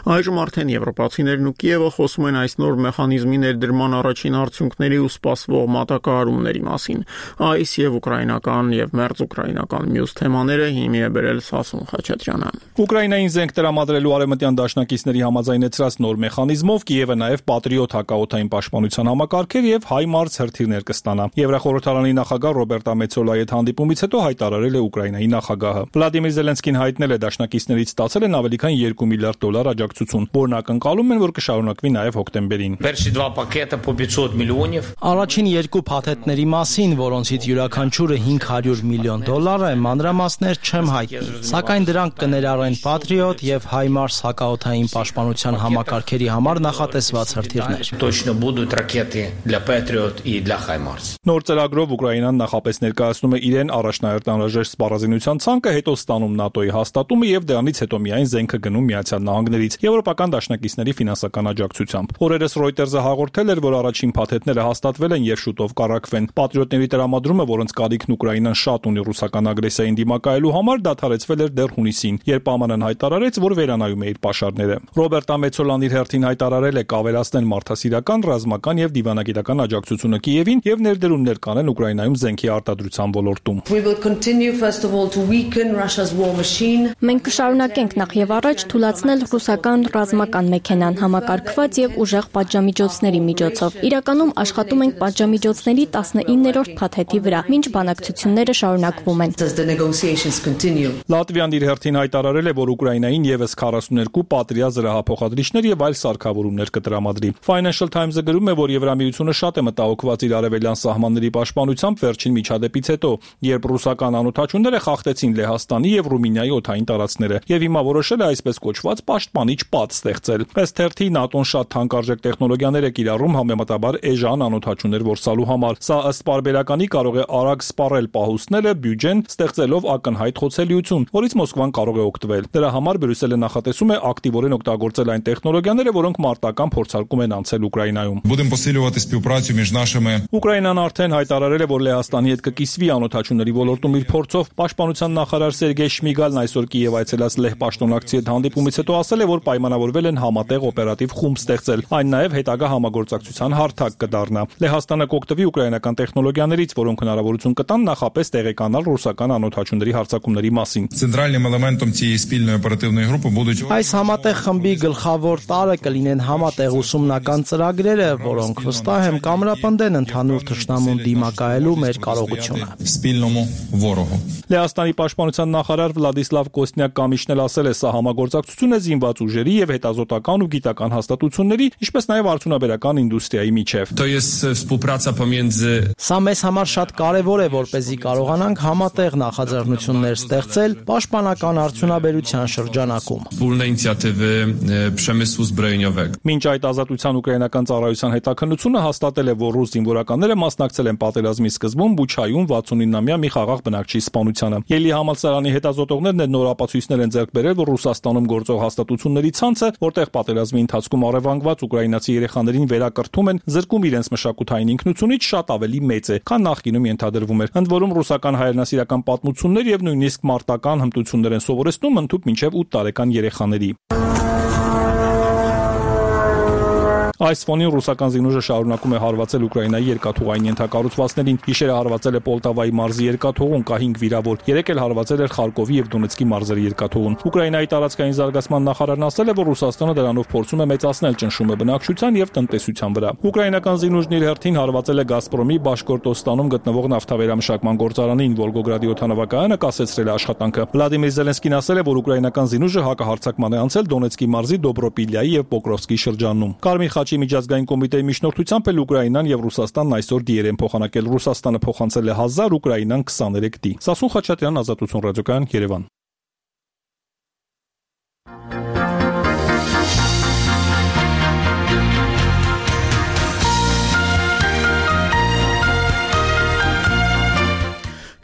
S1: Այժմ արդեն եվրոպացիներն ու Կիևը խոսում են այս նոր մեխանիզմի ներդրման առաջին արդյունքների ու սպասվող մատակարարումների մասին։ Այս եւ ուկրաինական եւ մերձ ուկրաինական մյուս թեմաները հիմի է բերել Սասուն Խաչատրյանը։
S13: Ուկրաինային զենք տրամադրելու արևմտյան դաշնակիցների համաձայնեցրած նոր մեխանիզմով Կիևը նաեւ Պատրիոտ հակաօդային պաշտպանության համակարգեր եւ HIMARS հրթիռներ կստանա։ Եվրախորհրդարանի նախագահ Ռոբերտա Մեցոլայի հետ հանդիպումից հետո հայտարարել է Ուկրաինայի նախագահը։ Վլադիմիր Զելենսկին հայտնել է դաշնակիցներից ստացել են ավելի քան երկու միլիարդ դոլար աջակցություն, որն ակնկալում են, որ կշարունակվի նաև հոկտեմբերին։
S10: Առաջին երկու փաթեթների մասին, որոնցից յուրաքանչյուրը հինգ հարյուր միլիոն դոլար է, մանրամասներ չեմ հայտնի, սակայն դրանք կներառեն Patriot եւ HIMARS հակաօդային պաշտպանության համակարգերի համար նախատեսված հրթիռներ։
S13: Նոր ծրագրով Ուկրաինան նախապես ներկայացնում է իրեն առաջնահերթ անհրաժեշտ սպառազինության ցանկը, հետո ստանում ՆԱՏՕ-ի հաստատումը եւ դրանից հետո միայն զենքը գնում Միացյալ Նահանգներից եվրոպական դաշնակիցների ֆինանսական աջակցությամբ։ Օրերս Reuters-ը հաղորդել էր, որ առաջին փաթեթները հաստատվել են եւ շուտով կառակվեն։ Պատրիոտների տրամադրումը, որոնց կարիքն Ուկրաինան շատ ունի ռուսական ագրեսիային դիմակայելու համար, դադարեցվել էր դեռ հունիսին, երբ ԱՄՆ-ն հայտարարեց, որ վերանայում է իր պաշարները։ Ռոբերտա Մեցոլան իր հերթին հայտարարել է կավելացնել մարդասիրական, ռազմական եւ դիվանագիտական աջակցությունը Կիևին եւ ներդրումներ կանեն Ուկրաինայում զենքի արտադրության ոլորտում։
S8: Մենք կշարունակենք նախ եւ առաջ թույլատնել ռուսական ռազմական մեքենան համակարգված եւ ուժեղ պատժամիջոցների միջոցով։ Իրականում աշխատում ենք պատժամիջոցների տասնիններորդ փաթեթի վրա, մինչ բանակցությունները շարունակվում են։
S13: Լատվիան իր հերթին հայտարարել է, որ Ուկրաինային եւս քառասուններկու պատրիա զրահափոխադրիչներ եւ այլ սարքավորումներ կտրամադրի։ Financial Times-ը գրում է, որ Եվրամիությունը շատ է մտահոգված իր արևելյան սահմանների պաշտպանությամբ վերջին միջադեպից հետո, երբ ռուսական անօթաչուները խախտեցին Լեհաստանի եւ Ռումինիայի օդային տարածքները եւ հիմա որոշել է այսպես կոչված պաշտպանիչ պատ ստեղծել։ Ըստ թերթի ՆԱՏՕ-ն շատ թանկարժեք տեխնոլոգիաներ է կիրառում համեմատաբար էժան անօթաչուներ որսալու համար։ Սա ըստ պարբերականի կարող է արագ սպառել պահուստները, բյուջեն, ստեղծելով ակնհայտ խոցելիություն, որից Մոսկվան կարող է օգտվել։ Դրա համար Բրյուսելը նախատեսում է ակտիվորեն օգտագործել այն տեխնոլոգիաները, որոնք մարտական փորձարկում են անցել Ուկրաինայում։ Ուկրաինան արդեն հայտարարել է, որ Լեհաստանի հետ կկիսվի անօթաչուների ոլորտում իր փորձով։ Պաշտպանության նախարար Սերգեյ Շմիգալն այսօր Կիև այցելած Լեհ պաշտոնակցի հետ հանդիպումից հետո ասել է, որ պայմանավորվել են համատեղ օպերատիվ խումբ ստեղծել։ Այն նաև հետագա համագործակցության հարթակ կդառնա։ Լեհաստանը կօգտվի ուկրաինական տեխնոլոգիաներից, որոնք հնարավորություն կտան նախապես տեղեկանալ ռուսական անօթաչուների հարձակումների մասին։
S10: Այս համատեղ խմբի գլխավոր տարրը կլինեն համատեղ ուսումնական ծրագրերը, որոնք վստահ եմ կամրապնդեն ընդհանուր թշնամուն դիմակայելու մեր կարողությունը։
S13: Լեհաստանի պաշտպանության նախարար Վլադիսլավ Կոստնյակ Կամիշն էլ ասել է, սա համագործակցություն է զինվոր զինված ուժերի եւ հետազոտական ու գիտական հաստատությունների, ինչպես նաեւ արդյունաբերական ինդուստրիայի միջև։
S10: Սա մեզ համար շատ կարևոր է, որպեսզի կարողանանք համատեղ նախաձեռնություններ ստեղծել պաշտպանական արդյունաբերության շրջանակում։
S13: Մինչ այդ ազատության ուկրաինական ծառայության հետաքննությունը հաստատել է, որ ռուս զինվորականները մասնակցել են պատերազմի սկզբում Բուչայում վաթսունինամյա մի խաղաղ բնակչի սպանությանը։ Ելի համալսարանի հետազոտողներն այդ նոր ապացույցներ են ձեռք բերել, որ Ռուսաստանում գործող հաստատությունների ցանցը, որտեղ պատերազմի ընթացքում առևանգված ուկրաինացի երեխաներին վերակրթում են, զրկում իրենց մշակութային ինքնությունից, շատ ավելի մեծ է, քան նախկինում ենթադրվում էր։ Ընդ որում ռուսական հայրենասիրական պատմություններ եւ նույնիսկ մարտական հմտություններ են սովորեցնում ընդհուպ մինչեւ ութ տարեկան երեխաների։ Այս ֆոնին ռուսական զինուժը շարունակում է հարվածել Ուկրաինայի երկաթուղային ենթակառուցվածքներին։ Գիշերը հարվածել է Պոլտավայի մարզի երկաթուղուն, կա հինգ վիրավոր։ Երեկ էլ հարվածել էր Խարկովի եւ Դոնեցկի մարզերի երկաթուղուն։ Ուկրաինայի տարածքային զարգացման նախարարն ասել է, որ Ռուսաստանը դրանով փորձում է մեծացնել ճնշումը բնակչության եւ տնտեսության վրա։ Ուկրաինական զինուժն իր հերթին հարվածել է Գազպրոմի Բաշկորտոստանում գտնվող նավթավերամշակման գործարանին, Վոլգոգրադի օդանավակայանը կասեցրել է աշխատանքը։ Վլադիմիր Զելենսկին ասել է, որ ուկրաինական զինուժը հակահարձակման է անցել Դոնեցկի մարզի Դոբրոպիլյայի եւ Պոկրովսկի շրջանում։ Կարմիր խաչի միջազգային կոմիտեի միջնորդությամբ էլ Ուկրաինան եւ Ռուսաստանն այսօր դիեր են փոխանակել։ Ռուսաստանը փոխանցել է հազար, Ուկրաինան քսաներեք դի։ Սասուն Խաչատրյան, Ազատություն ռադիոկայան, Երևան։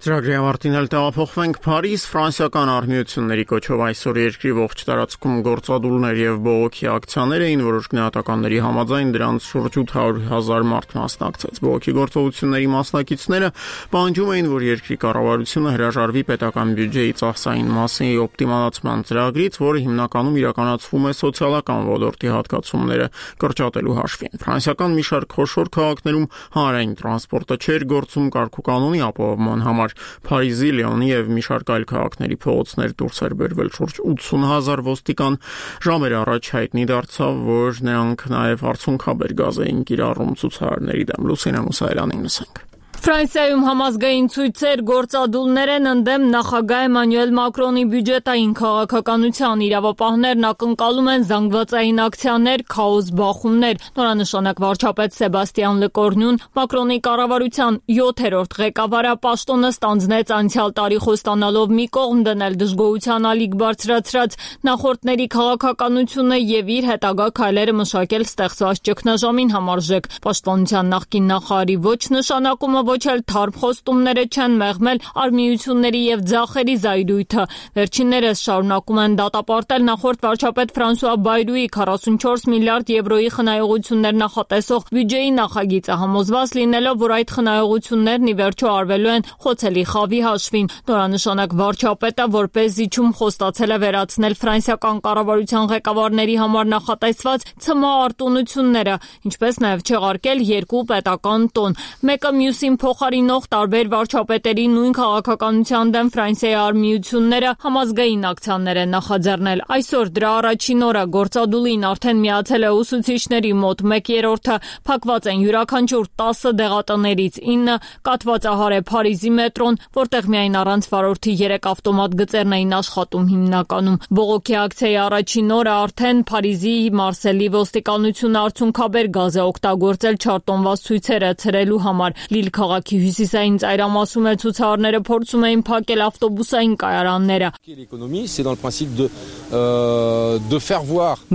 S1: Ծրագրի ավարտին էլ տեղափոխվենք Փարիզ, ֆրանսիական արհմիությունների կոչով այսօր երկրի ողջ տարածքում գործադուլներ եւ բողոքի ակցիաներ էին, որոշ գնահատականների համաձայն դրանց շուրջ ութ հարյուր հազար մարդ մասնակցեց։ Բողոքի գործողությունների մասնակիցները պահանջում էին, որ երկրի կառավարությունը հրաժարվի պետական բյուջեի ծախսային մասի օպտիմալացման ծրագրից, որը հիմնականում իրականացվում է սոցիալական ոլորտի հատկացումները կրճատելու հաշվին։ Ֆրանսիական մի շարք խոշոր քաղաքներում հանրային տրանսպորտը չէր գործում կարգուկանոնի ապահովման համար։ Փարիզի, Լիոնի եւ մի շարք այլ քաղաքների փողոցներ դուրս էր բերվել շուրջ ութսուն հազար ոստիկան։ Ժամեր առաջ հայտնի դարձավ, որ նրանք նաեւ արցունքաբեր գազ էին կիրառում ցուցարարների դեմ։ Լուսինե Մուսայելյանին լսենք։
S7: Ֆրանսիայում համազգային ցույցեր, գործադուլներ են ընդդեմ նախագահ Էմանուել Մակրոնի բյուջետային քաղաքականության։ Իրավապահներն ակնկալում են զանգվածային ակցիաներ, քաոս, բախումներ։ Նորանշանակ վարչապետ Սեբաստիան Լեկորնյուն Մակրոնի կառավարության յոթերորդ ղեկավարապաշտոնը ստանձնեց անցյալ տարի խոստանալով մի կողմ դնել դժգոհության ալիք բարձրացրած նախորդների քաղաքականությունը եւ իր հետագա քայլերը մշակել ստեղծված ճգնաժամին համարժեք։ Պաշտպանության նախկին նախարարի ոչ նշանակումը ոչ էլ թարմ խոստումները չեն մեղմել արմիությունների եւ ձախերի զայրույթը։ Վերջիններս շարունակում են դատապարտել նախորդ վարչապետ Ֆրանսուଆ Բայրուի քառասունչորս միլիարդ եվրոյի խնայողություններ նախատեսող բյուջեի նախագիծը, համոզված լինելով, որ այդ խնայողություններն ի վերջո արվելու են խոցելի խավի հաշվին։ Նորանշանակ վարչապետը որպես զիջում խոստացել է վերացնել ֆրանսիական կառավարության ղեկավարների համար նախատեսված ցմահ արտոնությունները, ինչպես նաեւ չեղարկել երկու պետական տոն։ Մեկը մյուսին փոխարինող տարբեր վարչապետերի նույն քաղաքականության դեմ Ֆրանսիայի արմիությունները համազգային ակցիաներ են նախաձեռնել։ Այսօր դրա առաջին օրը գործադուլին արդեն միացել է ուսուցիչների մոտ մեկ երրորդը, փակված են յուրաքանչյուր տասը դեղատներից ինը, կաթվածահար է Փարիզի մետրոն, որտեղ միայն առանց վարորդի երեք ավտոմատ գծերն էին աշխատում հիմնականում։ Բողոքի ակցիայի առաջին օրը արդեն Փարիզի Մարսելի ոստիկանությունը արցունքաբեր գազ է օգտագործել չարտոնված ցույցերը ցրելու համար։ Լիլ քաղաքի հյուսիսային ծայրամասում է ցուցարարները փորձում էին փակել ավտոբուսային կայարանները։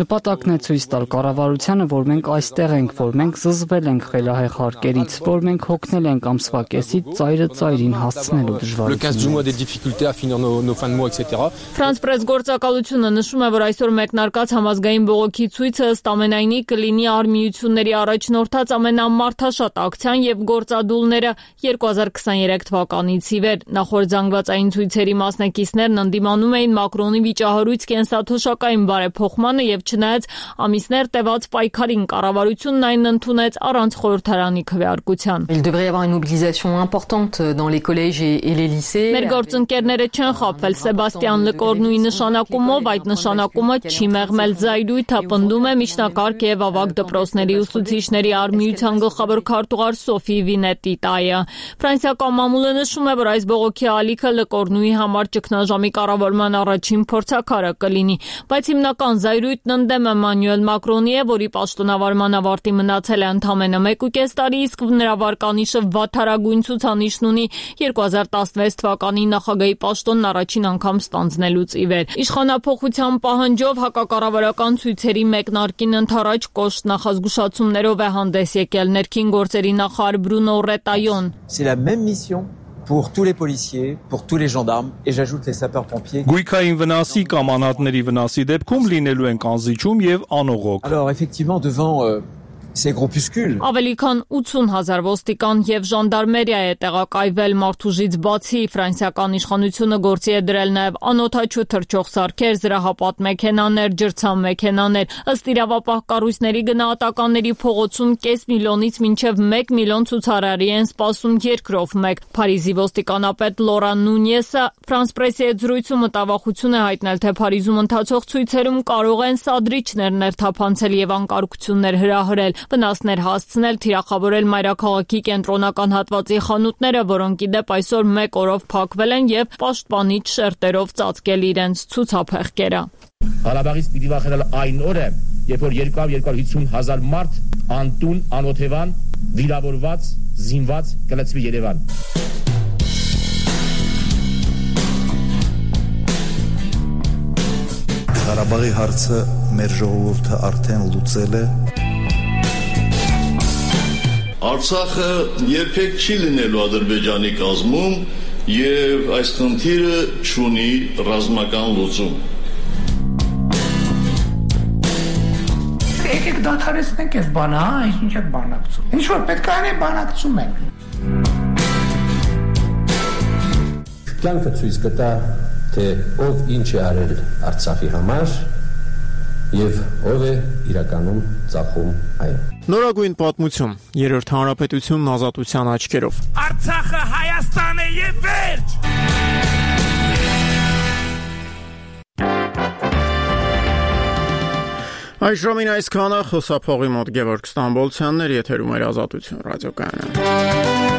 S9: Նպատակն է ցույց տալ կառավարությանը, որ մենք այստեղ ենք, որ մենք զզվել ենք խելահեղ հարկերից, որ մենք հոգնել ենք ամսվա կեսից ծայրը ծայրին հասցնելու դժվարությունները։
S7: Ֆրանս պրես գործակալությունը նշում է, որ այսօր մեկնարկած համազգային բողոքի ցույցը ըստ ամենայնի կլինի արմիությունների առաջնորդած ամենամարդաշատ ակցիան եւ գործադուլները երկու հազար քսաներեք թվականից ի վեր։ Նախորդ զանգվածային ցույցերի մասնակիցներն ընդդիմանում էին Մակրոնի վիճահարույց կենսաթոշակային բարեփոխմանը եւ չնայած ամիսներ տևած պայքարին կառավարությունն այն ընդունեց առանց խորհրդարանի քվեարկության։ Մեր գործընկերները չեն խաբվել Սեբաստիան Լեկորնուի նշանակումով, այդ նշանակումը չի մեղմել զայրույթը, պնդում է միջնակարգ եւ ավագ դպրոցների ուսուցիչների արմիության գլխավոր քարտուղար Սոֆի Վինետի այը։ Ֆրանսիական մամուլը նշում է, որ այս բողոքի ալիքը Լկորնուի համար ճգնաժամի կառավարման առաջին փորձաքարը կլինի, բայց հիմնական զայրույթն ընդդեմ Էմանուել Մակրոնի է, որի պաշտոնավարման ավարտի մնացել է ընդամենը մեկ ու կես տարի, իսկ նրա վարկանիշը վատթարագույն ցուցանիշն ունի երկու հազար տասնվեց թվականի նախագահի պաշտոնն առաջին անգամ ստանձնելուց ի վեր։ Իշխանափոխության պահանջով հակակառավարական ցույցերի մեկնարկին ընդառաջ կոշտ նախազգուշացումներով է հանդես եկել ներքին գործերի նախարար Բրունո Ռետայոն։
S11: C'est la même mission pour tous les policiers, pour tous les gendarmes et j'ajoute les sapeurs-pompiers.
S13: Գույքային վնասի կամ անհատների վնասի դեպքում լինելու են կանզիչում եւ անողոք։
S11: Alors effectivement devant euh, ces groupuscules.
S7: Ավելի քան ութուն հազար ոստիկան եւ ժանդարմերիա է տեղակայվել մարդուժից բացի ֆրանսիական իշխանությունը գործի է դրել նաեւ անօթաչու թռչող սարքեր, զրահապատ մեքենաներ, ջրցան մեքենաներ, ըստ իրավապահ կառույցների գնահատականների փողոցում կես միլիոնից մինչեւ մեկ միլիոն ցուցարարի են սպասում երկրով մեկ։ Փարիզի ոստիկանապետ Լորան Նունյեսը France Press-ի հետ զրույցում մտավախություն է հայտնել, թե Փարիզում ընթացող ցույցերում կարող են սադրիչներ ներթափանցել եւ անկարգություններ հրահրել, վնասներ հասցնել, թիրախավորել մայրաքաղաքի կենտրոնական հատվածի խանութները, որոնք ի դեպ այսօր մեկ օրով փակվել են եւ պաշտպանիչ շերտերով ծածկել իրենց ցուցափեղկերը։
S12: Ղարաբաղից պիտի վախենալ այն օրը, երբ որ երկու հարյուր հիսուն հազար մարդ անտուն, անօթևան, վիրավորված, զինված կլցվի Երևան։
S23: Ղարաբաղի հարցը մեր ժողովուրդը արդեն լուծել է։
S24: Արցախը երբեք չի լինելու Ադրբեջանի կազմում եւ այս խնդիրը չունի ռազմական լուծում։
S4: Եկեք դադարեցնենք այս բանը, հա, ինչ եք բանակցում։ Ինչ որ պետք է անենք, բանակցում ենք։
S11: Կյանքը ցույց կտա, թե ով ինչ է արել Արցախի համար եւ ով է իրականում ծախում այն։
S1: Նորագույն պատմություն, երրորդ հանրապետությունն ազատության աչքերով։
S4: Արցախը Հայաստան է եւ վերջ։
S1: Այս ժամին այսքանը, խոսափողի մոտ Գևորգ Ստամբոլցյանն էր, եթերում էր Ազատություն ռադիոկայանը։